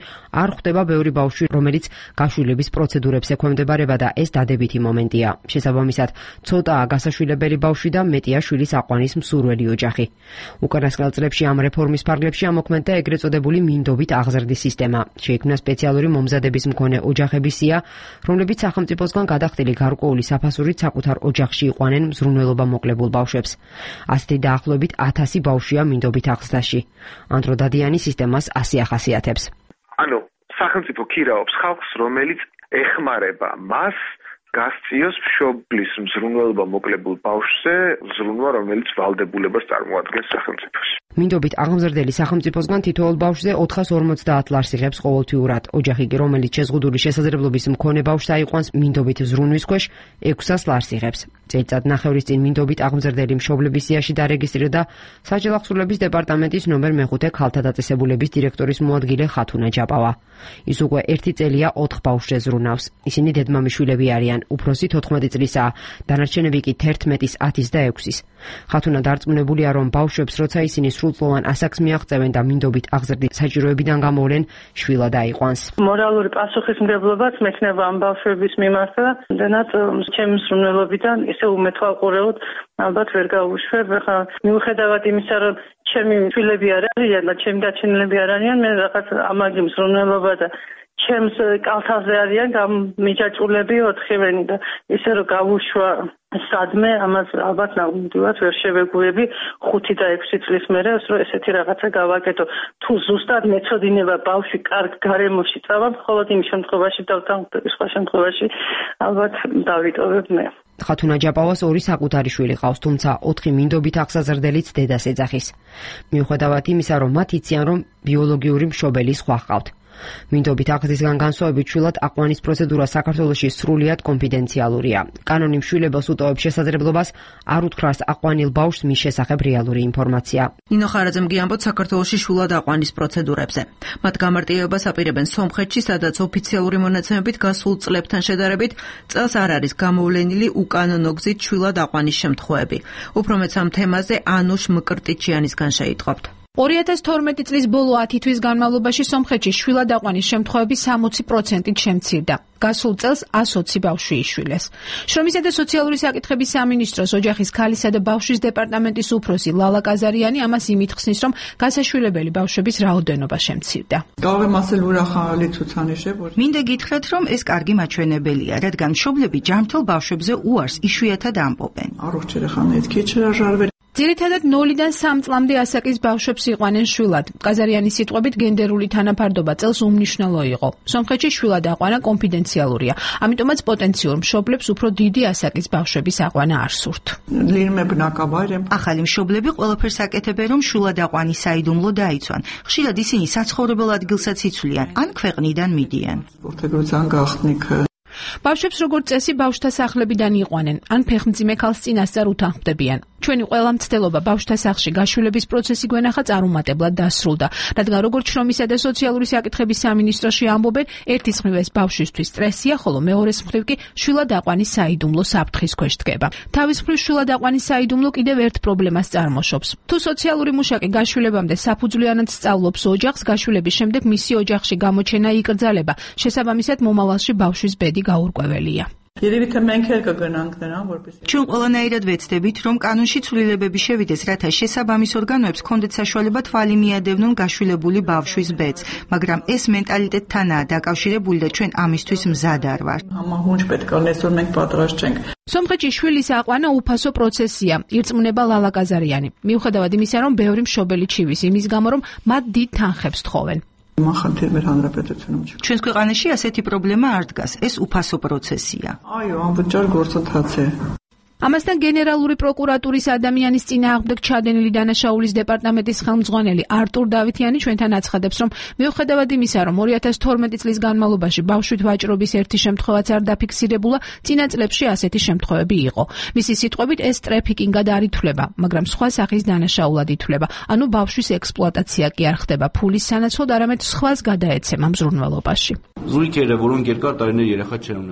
არ ხვდება ბევრი ბავშვი, რომელიც გაშვილების პროცედურებს ექვემდებარება და ეს დადებითი მომენტია. შესაბამისად, ცოტაა გასაშვილებელი ბავშვი და მეტია შვილის აყვანის მსურველი ოჯახი. უკანასკნელ წლებში ამ რეფორმის ფარგლებში ამოქმედდა ეგრეთ წოდებული მინდობით აღზრდის სისტემა. შეიქმნა სპეციალური მომზადების მქონე ოჯახების სია, რომლებიც სახელმწიფოსგან გადახდილი გარკვეული საფასურით საკუთარ ოჯახში იყვანენ მზრუნველობა მოკლებულ ბავშვებს. ასეთი დაახლოებით ათასი ბავშვია მინდობით აღზრდაში. ანდრო დადიანი სისტემას ასე ახასიათებს. ანუ სახელმწიფო ქირაობს ხალხს, რომელიც ეხმარება მას გასწიოს მშობლის მზრუნველობა მოკლებულ ბავშვზე ზრუნვა, რომელიც ვალდებულებას წარმოადგენს სახელმწიფოს. მინდობით აღმზრდელი სახელმწიფოსგან თითოეულ ბავშვზე ოთხას ორმოცდაათ ლარს იღებს ყოველთვიურად. ოჯახი კი, რომელიც შეზღუდული შესაძლებლობის მქონე ბავშვს აიყვანს მინდობით ზრუნვის ქვეშ, ექვსას ლარს იღებს. წელიწად ნახევრის წინ მინდობით აღმზრდელი მშობლების სიაში დარეგისტრირდა საჯარო აღსრულების დეპარტამენტის ნომერ მეხუთე ქალთა დაწესებულების დირექტორის მოადგილე ხათუნა ჯაპავა. ის უკვე ერთი წელია ოთხ ბავშვზე ზრუნავს. ისინი დედმამიშვილები არიან. უფროსი თოთხმეტი წლისაა, დანარჩენები კი თერთმეტის, ათის და ექვსის. ხათუნა დარწმუნებულია, რომ ბავშვებს, როცა ისინი სრულწლოვან ასაკს მიაღწევენ და მინდობით აღზრდის საჭიროებიდან გამოვლენ, შვილად აიყვანს. მორალური პასუხისმგებლობაც მექნება ამ ბავშვების მიმართ და იმდენად ჩემი მსრუნველობიდან ისე უმეთვალყურეოდ ალბათ ვერ გავუშვებ. ხა მიუხედავად იმისა, რომ ჩემი შვილები არ არიან და ჩემი გაჩენილები არ არიან, მე რაღაც ამაგი მსრუნველობა და ჩემს კალთაზე არიან გამიჯაჭულები ოთხივენი და ისე რომ გავუშვა სადმე, ამას ალბათ ნამდვილად ვერ შევეგუები ხუთი და ექვსი წლის მერე, რომ ესეთი რაღაცა გავაკეთო. თუ ზუსტად მეწოდინება ბავშვი კარგ გარემოში წავა, მხოლოდ იმ შემთხვევაში და სხვა შემთხვევაში ალბათ დავიტოვებ მე. ხათუნა ჯაპავას ორი საკუთარი შვილი ყავს, თუმცა ოთხი მინდობით აღზრდელიც დედას ეძახის. მიუხედავად იმისა, რომ მათ იციან, რომ ბიოლოგიური მშობელი სხვა ყავთ. მინდობით აღზრდისგან განსხვავებით შვილად აყვანის პროცედურა საქართველოში სრულიად კონფიდენციალურია. კანონი მშვილებას უტოვებს შესაძლებლობას არ უთხრას აყვანილ ბავშვს მის შესახებ რეალური ინფორმაცია. ნინო ხარაძემ გიამბოთ საქართველოში შვილად აყვანის პროცედურებზე. მათ გამარტივებას აპირებენ სომხეთში, სადაც ოფიციალური მონაცემებით გასულ წლებთან შედარებით წელს არ არის გამოვლენილი უკანონო გზით შვილად აყვანის შემთხვევები. უფრო მეც ამ თემაზე ანუშ მკრტიჩიანისგან შეიტყობთ. ორი ათას თორმეტი წლის ბოლო ათი თვის განმავლობაში სომხეთში შვილად აყვანის შემთხვევები სამოცი პროცენტით შემცირდა. გასულ წელს ას ოცი ბავშვი იშვილეს. შრომისა და სოციალური საკითხების სამინისტროს ოჯახის ქალისა და ბავშვის დეპარტამენტის უფროსი ლალა კაზარიანი ამას იმით ხსნის, რომ გასაშვილებელი ბავშვების რაოდენობა შემცირდა. მინდა გითხრათ, რომ ეს კარგი მაჩვენებელია, რადგან მშობლები ჯანმრთელ ბავშვებზე უარს იშვიათად ამბობენ. ძირითადად ნოლიდან სამ წლამდე ასაკის ბავშვებს იყვანენ შვილად. კაზარიანის სიტყვებით გენდერული თანაფარდობა წელს უმნიშვნელო იყო. სომხეთში შვილად აყვანა კონფიდენციალურია, ამიტომაც პოტენციურ მშობლებს უფრო დიდი ასაკის ბავშვების აყვანა არ სურთ. ახალი მშობლები ყველაფერს აკეთებენ, რომ შვილად აყვანის საიდუმლო დაიცვან. ხშირად ისინი საცხოვრებელ ადგილსაც იცვლიან, ან ქვეყნიდან მიდიან. ბავშვებს როგორც წესი ბავშვთა სახლებიდან იყვანენ, ან ფეხმძიმე ქალს წინასწარ უთანხმდებიან. ჩვენი ყველა მცდელობა ბავშვთა სახლში გაშვილების პროცესი გვენახა წარუმატებლად დასრულდა, რადგან როგორც შრომისა და სოციალური საკითხების სამინისტროში ამბობენ, ერთის მხრივ ეს ბავშვისთვის სტრესია, ხოლო მეორეს მხრივ კი შვილად აყვანის საიდუმლო საფრთხის ქვეშ დგება. თავის მხრივ შვილად აყვანის საიდუმლო კიდევ ერთ პრობლემას წარმოშობს. თუ სოციალური მუშაკი გაშვილებამდე საფუძვლიანად სწავლობს ოჯახს, გაშვილების შემდეგ მისი ოჯახში გამოჩენა იკრძალება, შესაბამისად მომავალში ბავშვის ბედი გაურკვეველია. ჩვენ ყველანაირად ვეცდებით, რომ კანონში ცვლილებები შევიდეს, რათა შესაბამის ორგანოებს ჰქონდეთ საშუალება თვალი მიადევნონ გაშვილებული ბავშვის ბედს, მაგრამ ეს მენტალიტეტთანაა დაკავშირებული და ჩვენ ამისთვის მზად არ ვართ. სომხეთში შვილის აყვანა უფასო პროცესია, ირწმუნება ლალა კაზარიანი. მიუხედავად იმისა, რომ ბევრი მშობელი ჩივის იმის გამო, რომ მათ დიდ თანხებს თხოვენ. ჩვენს ქვეყანაში ასეთი პრობლემა არ დგას, ეს უფასო პროცესია. ამასთან გენერალური პროკურატურის ადამიანის წინააღმდეგ ჩადენილი დანაშაულის დეპარტამენტის ხელმძღვანელი არტურ დავითიანი ჩვენთან აცხადებს, რომ მიუხედავად იმისა, რომ ორი ათას თორმეტი წლის განმავლობაში ბავშვით ვაჭრობის ერთი შემთხვევაც არ დაფიქსირებულა, წინა წლებში ასეთი შემთხვევები იყო. მისი სიტყვებით ეს ტრეფიკინგად არ ითვლება, მაგრამ სხვა სახის დანაშაულად ითვლება, ანუ ბავშვის ექსპლუატაცია კი არ ხდება ფულის სანაცვლოდ, არამედ სხვას გადაეცემა მზრუნველობაში.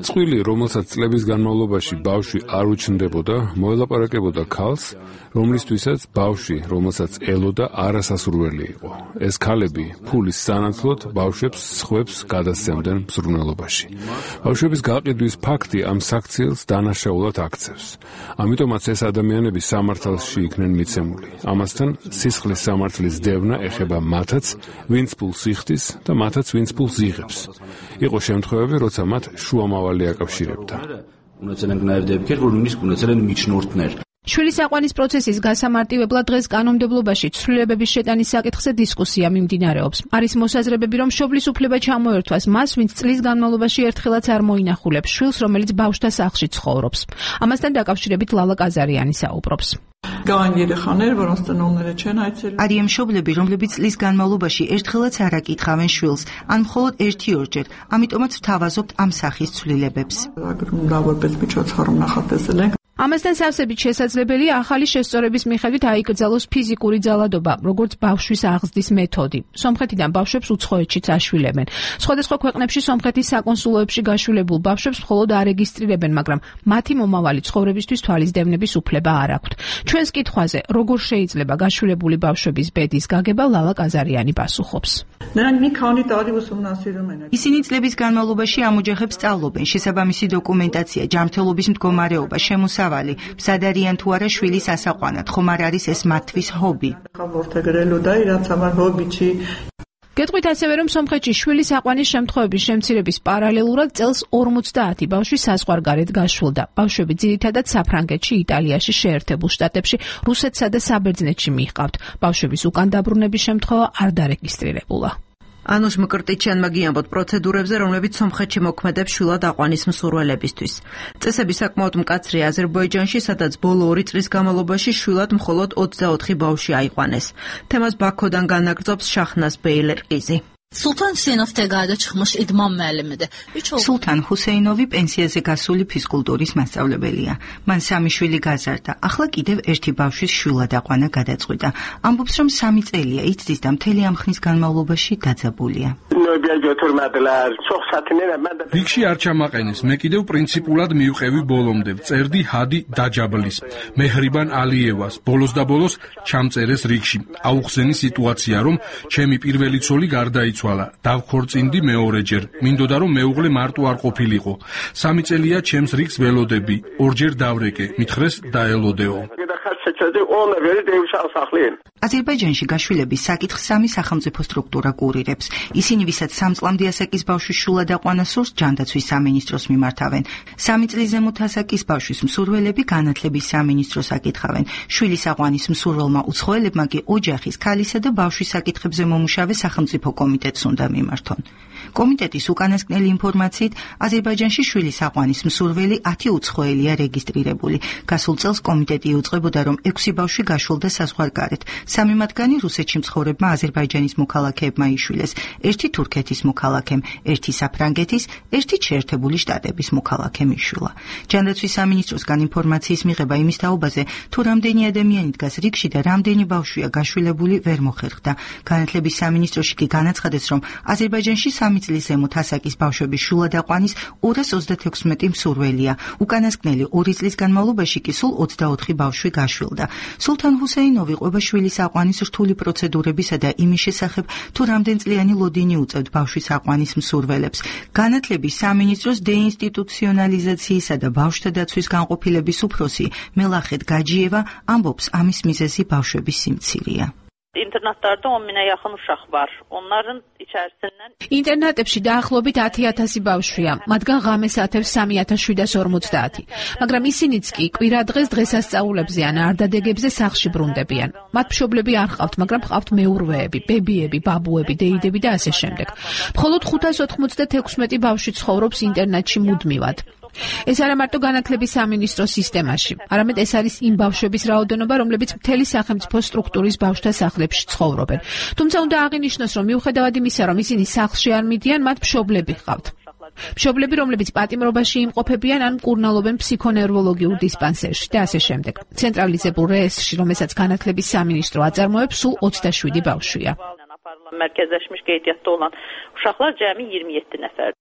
წყვილი, რომელსაც წლების განმავლობაში ბავშვი არ უჩნდებოდა, მოელაპარაკებოდა ქალს, რომლისთვისაც ბავშვი, რომელსაც ელოდა, არასასურველი იყო. ეს ქალები ფულის სანაცვლოდ ბავშვებს სხვებს გადასცემდნენ მზრუნველობაში. ბავშვების გაყიდვის ფაქტი ამ საქციელს დანაშაულად აქცევს. ამიტომაც ეს ადამიანები სამართალში იქნენ მიცემული. ამასთან სისხლის სამართლის დევნა ეხება მათაც, ვინც ფულს იხდის და მათაც, ვინც ფულს იღებს. იყო შემთხვევები, როცა მათ შუამავალი აკავშირებდა. შვილის აყვანის პროცესის გასამარტივებლად დღეს კანონმდებლობაში ცვლილებების შეტანის საკითხზე დისკუსია მიმდინარეობს. არის მოსაზრებები, რომ მშობლის უფლება ჩამოერთვას მას, ვინც წლის განმავლობაში ერთხელაც არ მოინახულებს შვილს, რომელიც ბავშვთა სახლში ცხოვრობს. ამასთან დაკავშირებით ლალა კაზარიანი საუბრობს. არიან მშობლები, რომლებიც წლის განმავლობაში ერთხელაც არ აკითხავენ შვილს, ან მხოლოდ ერთი-ორჯერ, ამიტომაც ვთავაზობთ ამ სახის ცვლილებებს. ამასთან სავსებით შესაძლებელია ახალი შესწორების მიხედვით აიკრძალოს ფიზიკური ძალადობა, როგორც ბავშვის აღზრდის მეთოდი. სომხეთიდან ბავშვებს უცხოეთშიც აშვილებენ. სხვადასხვა ქვეყნებში სომხეთის საკონსულოებში გაშვილებულ ბავშვებს მხოლოდ არეგისტრირებენ, მაგრამ მათი მომავალი ცხოვრებისთვის თვალისდევნების უფლება არ აქვთ. ჩვენს კითხვაზე, როგორ შეიძლება გაშვილებული ბავშვების ბედის გაგება, ლალა კაზარიანი პასუხობს. ისინი წლების განმავლობაში ამ ოჯახებს სწავლობენ, შესაბამისი დოკუმენტაცია, ჯანმრთელობის მდგომარეობა, შემოსავალი, მზად არიან თუ არა შვილის ასაყვანად, ხომ არ არის ეს მათთვის ჰობი. გეტყვით ასევე, რომ სომხეთში შვილის აყვანის შემთხვევების შემცირების პარალელურად წელს ორმოცდაათი ბავშვი საზღვარგარეთ გაშვილდა. ბავშვები ძირითადად საფრანგეთში, იტალიაში, შეერთებულ შტატებში, რუსეთსა და საბერძნეთში მიჰყავთ. ბავშვების უკან დაბრუნების შემთხვევა არ დარეგისტრირებულა. ანუშ მკრტიჩიანმა გიამბოთ პროცედურებზე, რომლებიც სომხეთში მოქმედებს შვილად აყვანის მსურველებისთვის. წესები საკმაოდ მკაცრია აზერბაიჯანში, სადაც ბოლო ორი წლის განმავლობაში შვილად მხოლოდ ოცდაოთხი ბავშვი აიყვანეს. თემას ბაქოდან განაგრძობს შაჰნაზ ბეილერყიზი. სულთან ჰუსეინოვთან გადაჭრმოშ იდმამ მალემედე. სულთან ჰუსეინოვი პენსიაზე გასული ფიზკულტურის მასწავლებელია. მან სამი შვილი გაზარდა. ახლა კიდევ ერთი ბავშვის შვილად აყვანა გადაწყვიტა. ამბობს, რომ სამი წელია იცდის და მთელი ამ ხნის განმავლობაში დაძაბულია. რიგში არ ჩამაყენეს, მე კიდევ პრინციპულად მივყევი ბოლომდე. წერდი ჰადი დაჯაბლის, მეჰრიბან ალიევას, ბოლოს და ბოლოს ჩამწერეს რიგში. აუხსენი სიტუაცია, რომ ჩემი პირველი ცოლი გარდაიცვალა, დავქორწინდი მეორეჯერ. მინდოდა რომ მეუღლე მარტო არ ყოფილიყო. სამი წელია ჩემს რიგს ველოდები, ორჯერ დავრეკე, მითხრეს დაელოდეო. აზერბაიჯანში გაშვილების საკითხს სამი სახელმწიფო სტრუქტურა კურირებს. ისინი, ვისაც სამ წლამდე ასაკის ბავშვის შვილად აყვანა სურს, ჯანდაცვის სამინისტროს მიმართავენ. სამი წლის ზემოთ ასაკის ბავშვის მსურველები განათლების სამინისტროს აკითხავენ. შვილის აყვანის მსურველმა უცხოელებმა კი ოჯახის, ქალისა და ბავშვის საკითხებზე მომუშავე სახელმწიფო კომიტეტს უნდა მიმართონ. კომიტეტის უკანასკნელი ინფორმაციით, აზერბაიჯანში შვილის აყვანის მსურველი ათი უცხოელია რეგისტრირებული. გასულ წელს კომიტეტი იუწყებოდა, რომ ექვსი ბავშვი გაშვილდა საზღვარგარეთ. სამი მათგანი რუსეთში მცხოვრებმა აზერბაიჯანის მოქალაქეებმა იშვილეს, ერთი თურქეთის მოქალაქემ, ერთი საფრანგეთის, ერთი შეერთებული შტატების მოქალაქემ იშვილა. ჯანდაცვის სამინისტროსგან ინფორმაციის მიღება იმის თაობაზე, თუ რამდენი ადამიანი დგას რიგში და რამდენი ბავშვია გაშვილებული, ვერ მოხერხდა. განათლების სამინისტროში კი განაცხადეს, რომ აზერბაიჯანში სამი წლის ზემოთ ასაკის ბავშვების შვილად აყვანის ორას ოცდათექვსმეტი მსურველია. უკანასკნელი ორი წლის განმავლობაში კი სულ ოცდაოთხი ბავშვი გაშვილდა. სულთან ჰუსეინოვი ყვება შვილის აყვანის რთული პროცედურებისა და იმის შესახებ, თუ რამდენწლიანი ლოდინი უწევთ ბავშვის აყვანის მსურველებს. განათლების სამინისტროს დეინსტიტუციონალიზაციისა და ბავშვთა დაცვის განყოფილების უფროსი მელახეთ გაჯიევა ამბობს, ამის მიზეზი ბავშვების სიმცირეა. İnternetlərdə on minə yaxın uşaq var. Onların içərisindən ინტერნეტებში დაახლოებით ათი ათასი ბავშვია, მათგან ღამეს ათევს სამი ათას შვიდას ორმოცდაათი. მაგრამ ისინიც კი კვირადღეს დღესასწაულებზე ან არდადეგებზე სახლში ბრუნდებიან. მათ მშობლები არ ყავთ, მაგრამ ყავთ მეურვეები, ბებიები, ბაბუები, დეიდები და ასე შემდეგ. მხოლოდ ხუთას ოთხმოცდათექვსმეტი ბავშვი ცხოვრობს ინტერნეტში მუდმივად. ეს არა მარტო განათლების სამინისტროს სისტემაში, არამედ ეს არის იმ ბავშვების რაოდენობა, რომლებიც მთელი სახელმწიფო სტრუქტურის ბავშვთა სახლებში ცხოვრობენ. თუმცა უნდა აღინიშნოს, რომ მიუხედავად იმისა, რომ ისინი სახლში არ მიდიან, მათ მშობლები ჰყავთ. მშობლები, რომლებიც პატიმრობაში იმყოფებიან ან მკურნალობენ ფსიქონევროლოგიურ დისპანსერში და ასე შემდეგ. ცენტრალიზებულ რეესტრში, რომელსაც განათლების სამინისტრო აწარმოებს, სულ ოცდაშვიდი ბავშვია. Mərkəzləşmiş qeydiyyatda olan uşaqlar cəmi iyirmi yeddi nəfər.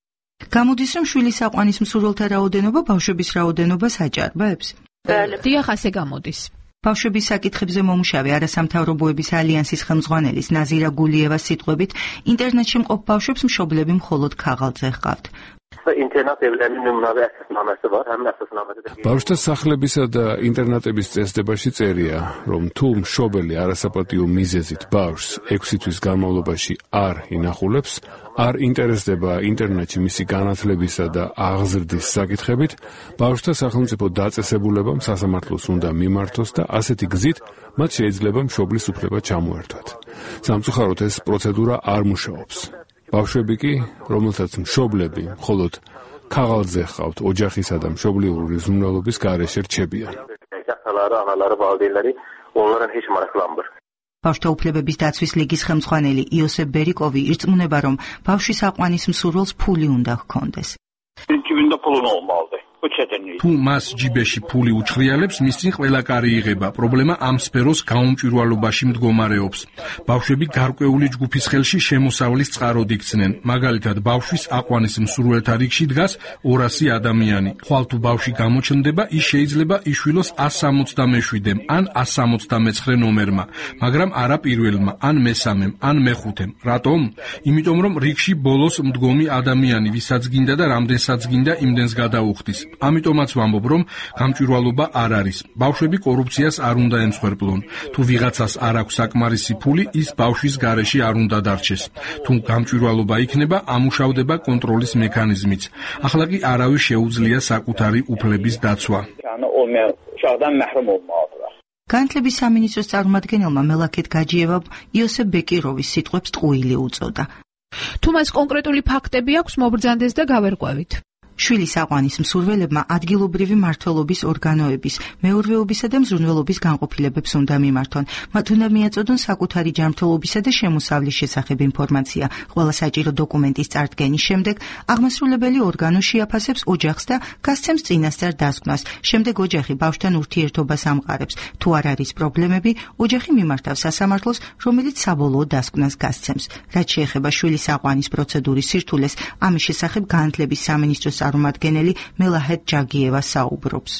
გამოდის, რომ შვილის აყვანის მსურველთა რაოდენობა ბავშვების რაოდენობას აჭარბებს? დიახ, ასე გამოდის. ბავშვების საკითხებზე მომუშავე არასამთავრობოების ალიანსის ხელმძღვანელის ნაზირა გულიევას სიტყვებით, ინტერნეტში მყოფ ბავშვებს მშობლები მხოლოდ ქაღალდზე ჰყავთ. ინტერნეტ ევროპის ნომრები ასასნამეზე ვარ, ამ ასასნამეზე. ბავშვთა სახლებისა და ინტერნეტების წესდებაში წერია, რომ თუ მშობელი არასაპატიო მიზეზით ბავშვს ექვსი თვის განმავლობაში არ ინახულებს, არ ინტერესდება ინტერნეტში მისი განათლებისა და აღზრდის საკითხებით, ბავშვთა სახელმწიფო დაწესებულებამ სასამართლოს უნდა მიმართოს და ასეთი გზით მათ შეიძლება მშობლის უფლება ჩამოერთვათ. სამწუხაროდ ეს პროცედურა არ მუშაობს. ბავშვები კი, რომელთაც მშობლები მხოლოდ ქაღალდზე ჰყავთ, ოჯახისა და მშობლიური ზრუნველობის გარეშე რჩებიან. ბავშვთა უფლებების დაცვის ლიგის ხელმძღვანელი იოსებ ბერიკოვი ირწმუნება, რომ ბავშვის აყვანის მსურველს ფული უნდა ჰქონდეს. თუ მას ჯიბეში ფული უჩხრიალებს, მის წინ ყველა კარი იღება. პრობლემა ამ სფეროს გაუმჭვირვალობაში მდგომარეობს. ბავშვები გარკვეული ჯგუფის ხელში შემოსავლის წყაროდ იქცნენ. მაგალითად, ბავშვის აყვანის მსურველთა რიგში დგას ორასი ადამიანი. ხვალ თუ ბავშვი გამოჩნდება, ის შეიძლება იშვილოს ას სამოცდამეშვიდემ ან ას სამოცდამეცხრე ნომერმა, მაგრამ არა პირველმა, ან მესამემ, ან მეხუთემ. რატომ? იმიტომ რომ რიგში ბოლოს მდგომი ადამიანი, ვისაც გინდა და რამდენსაც გინდა, იმდენს გადაუხდის. ამიტომაც ვამბობ, რომ გამჭვირვალობა არ არის. ბავშვები კორუფციას არ უნდა ემსხვერპლონ. თუ ვიღაცას არ აქვს საკმარისი ფული, ის ბავშვის გარეშე არ უნდა დარჩეს. თუ გამჭვირვალობა იქნება, ამუშავდება კონტროლის მექანიზმიც. ახლა კი არავის შეუძლია საკუთარი უფლების დაცვა. განათლების სამინისტროს წარმომადგენელმა მელაქეთ გაჯიევამ იოსებ ბეკიროვის სიტყვებს ტყუილი უწოდა. თუ მას კონკრეტული ფაქტები აქვს, მობრძანდეს და გავერკვევით. შვილის აყვანის მსურველებმა ადგილობრივი მმართველობის ორგანოების, მეურვეობისა და მზრუნველობის განყოფილებებს უნდა მიმართონ. მათ უნდა მიაწოდონ საკუთარი ჯანმრთელობისა და შემოსავლის შესახებ ინფორმაცია. ყველა საჭირო დოკუმენტის წარდგენის შემდეგ აღმასრულებელი ორგანო შეაფასებს ოჯახს და გასცემს წინასწარ დასკვნას. შემდეგ ოჯახი ბავშვთან ურთიერთობას ამყარებს. თუ არ არის პრობლემები, ოჯახი მიმართავს სასამართლოს, რომელიც საბოლოო დასკვნას გასცემს. რაც შეეხება შვილის აყვანის პროცედურის სირთულეს, ამის შესახებ განათლების სამინისტროს წარმომადგენელი მელაჰეთ ჯაგიევა საუბრობს.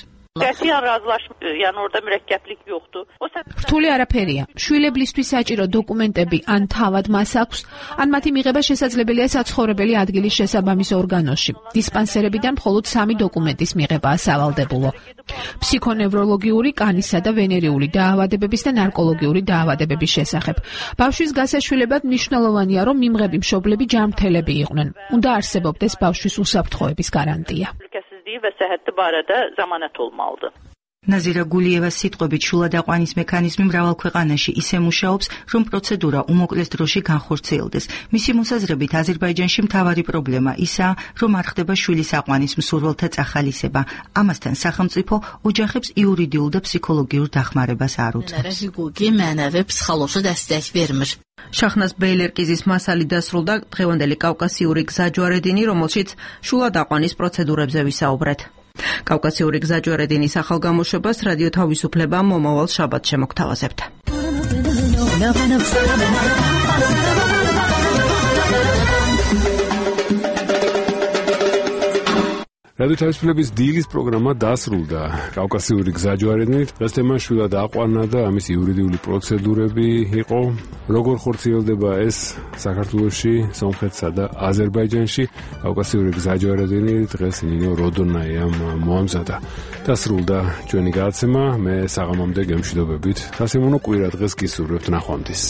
რთული არაფერია. შვილებლისთვის საჭირო დოკუმენტები ან თავად მას აქვს, ან მათი მიღება შესაძლებელია საცხოვრებელი ადგილის შესაბამის ორგანოში. დისპანსერებიდან მხოლოდ სამი დოკუმენტის მიღებაა სავალდებულო. ფსიქონევროლოგიური, კანისა და ვენერიული დაავადებების და ნარკოლოგიური დაავადებების შესახებ. ბავშვის გასაშვილებად მნიშვნელოვანია, რომ მიმღები მშობლები ჯანმრთელები იყვნენ. უნდა არსებობდეს ბავშვის უსაფრთხოების გარანტია. və səhhəti barədə zəmanət olmalıdır. ნაზირა გულიევას სიტყვებით შვილად აყვანის მექანიზმი მრავალ ქვეყანაში ისე მუშაობს, რომ პროცედურა უმოკლეს დროში განხორციელდეს. მისი მოსაზრებით აზერბაიჯანში მთავარი პრობლემა ისაა, რომ არ ხდება შვილის აყვანის მსურველთა წახალისება. ამასთან სახელმწიფო ოჯახებს იურიდიულ და ფსიქოლოგიურ დახმარებას არ უწევს. შაჰნაზ ბეილერკიზის მასალი დასრულდა. დღევანდელი კავკასიური გზაჯვარედინი, რომელშიც შვილად აყვანის პროცედურებზე ვისაუბრეთ. კავკასიური გზაჯვარედინის ახალ გამოშვებას რადიო თავისუფლება მომავალ შაბათს შემოგთავაზებთ. რადიო თავისუფლების დილის პროგრამა დასრულდა. კავკასიური გზაჯვარედინით დღეს თემა შვილად აყვანა და ამის იურიდიული პროცედურები იყო. როგორ ხორციელდება ეს საქართველოში, სომხეთსა და აზერბაიჯანში? კავკასიური გზაჯვარედინი დღეს ნინო როდონაიამ მოამზადა. დასრულდა ჩვენი გადაცემა. მე საღამომდე გემშვიდობებით. სასიმონო კვირა დღეს გისურვებთ ნახვამდის.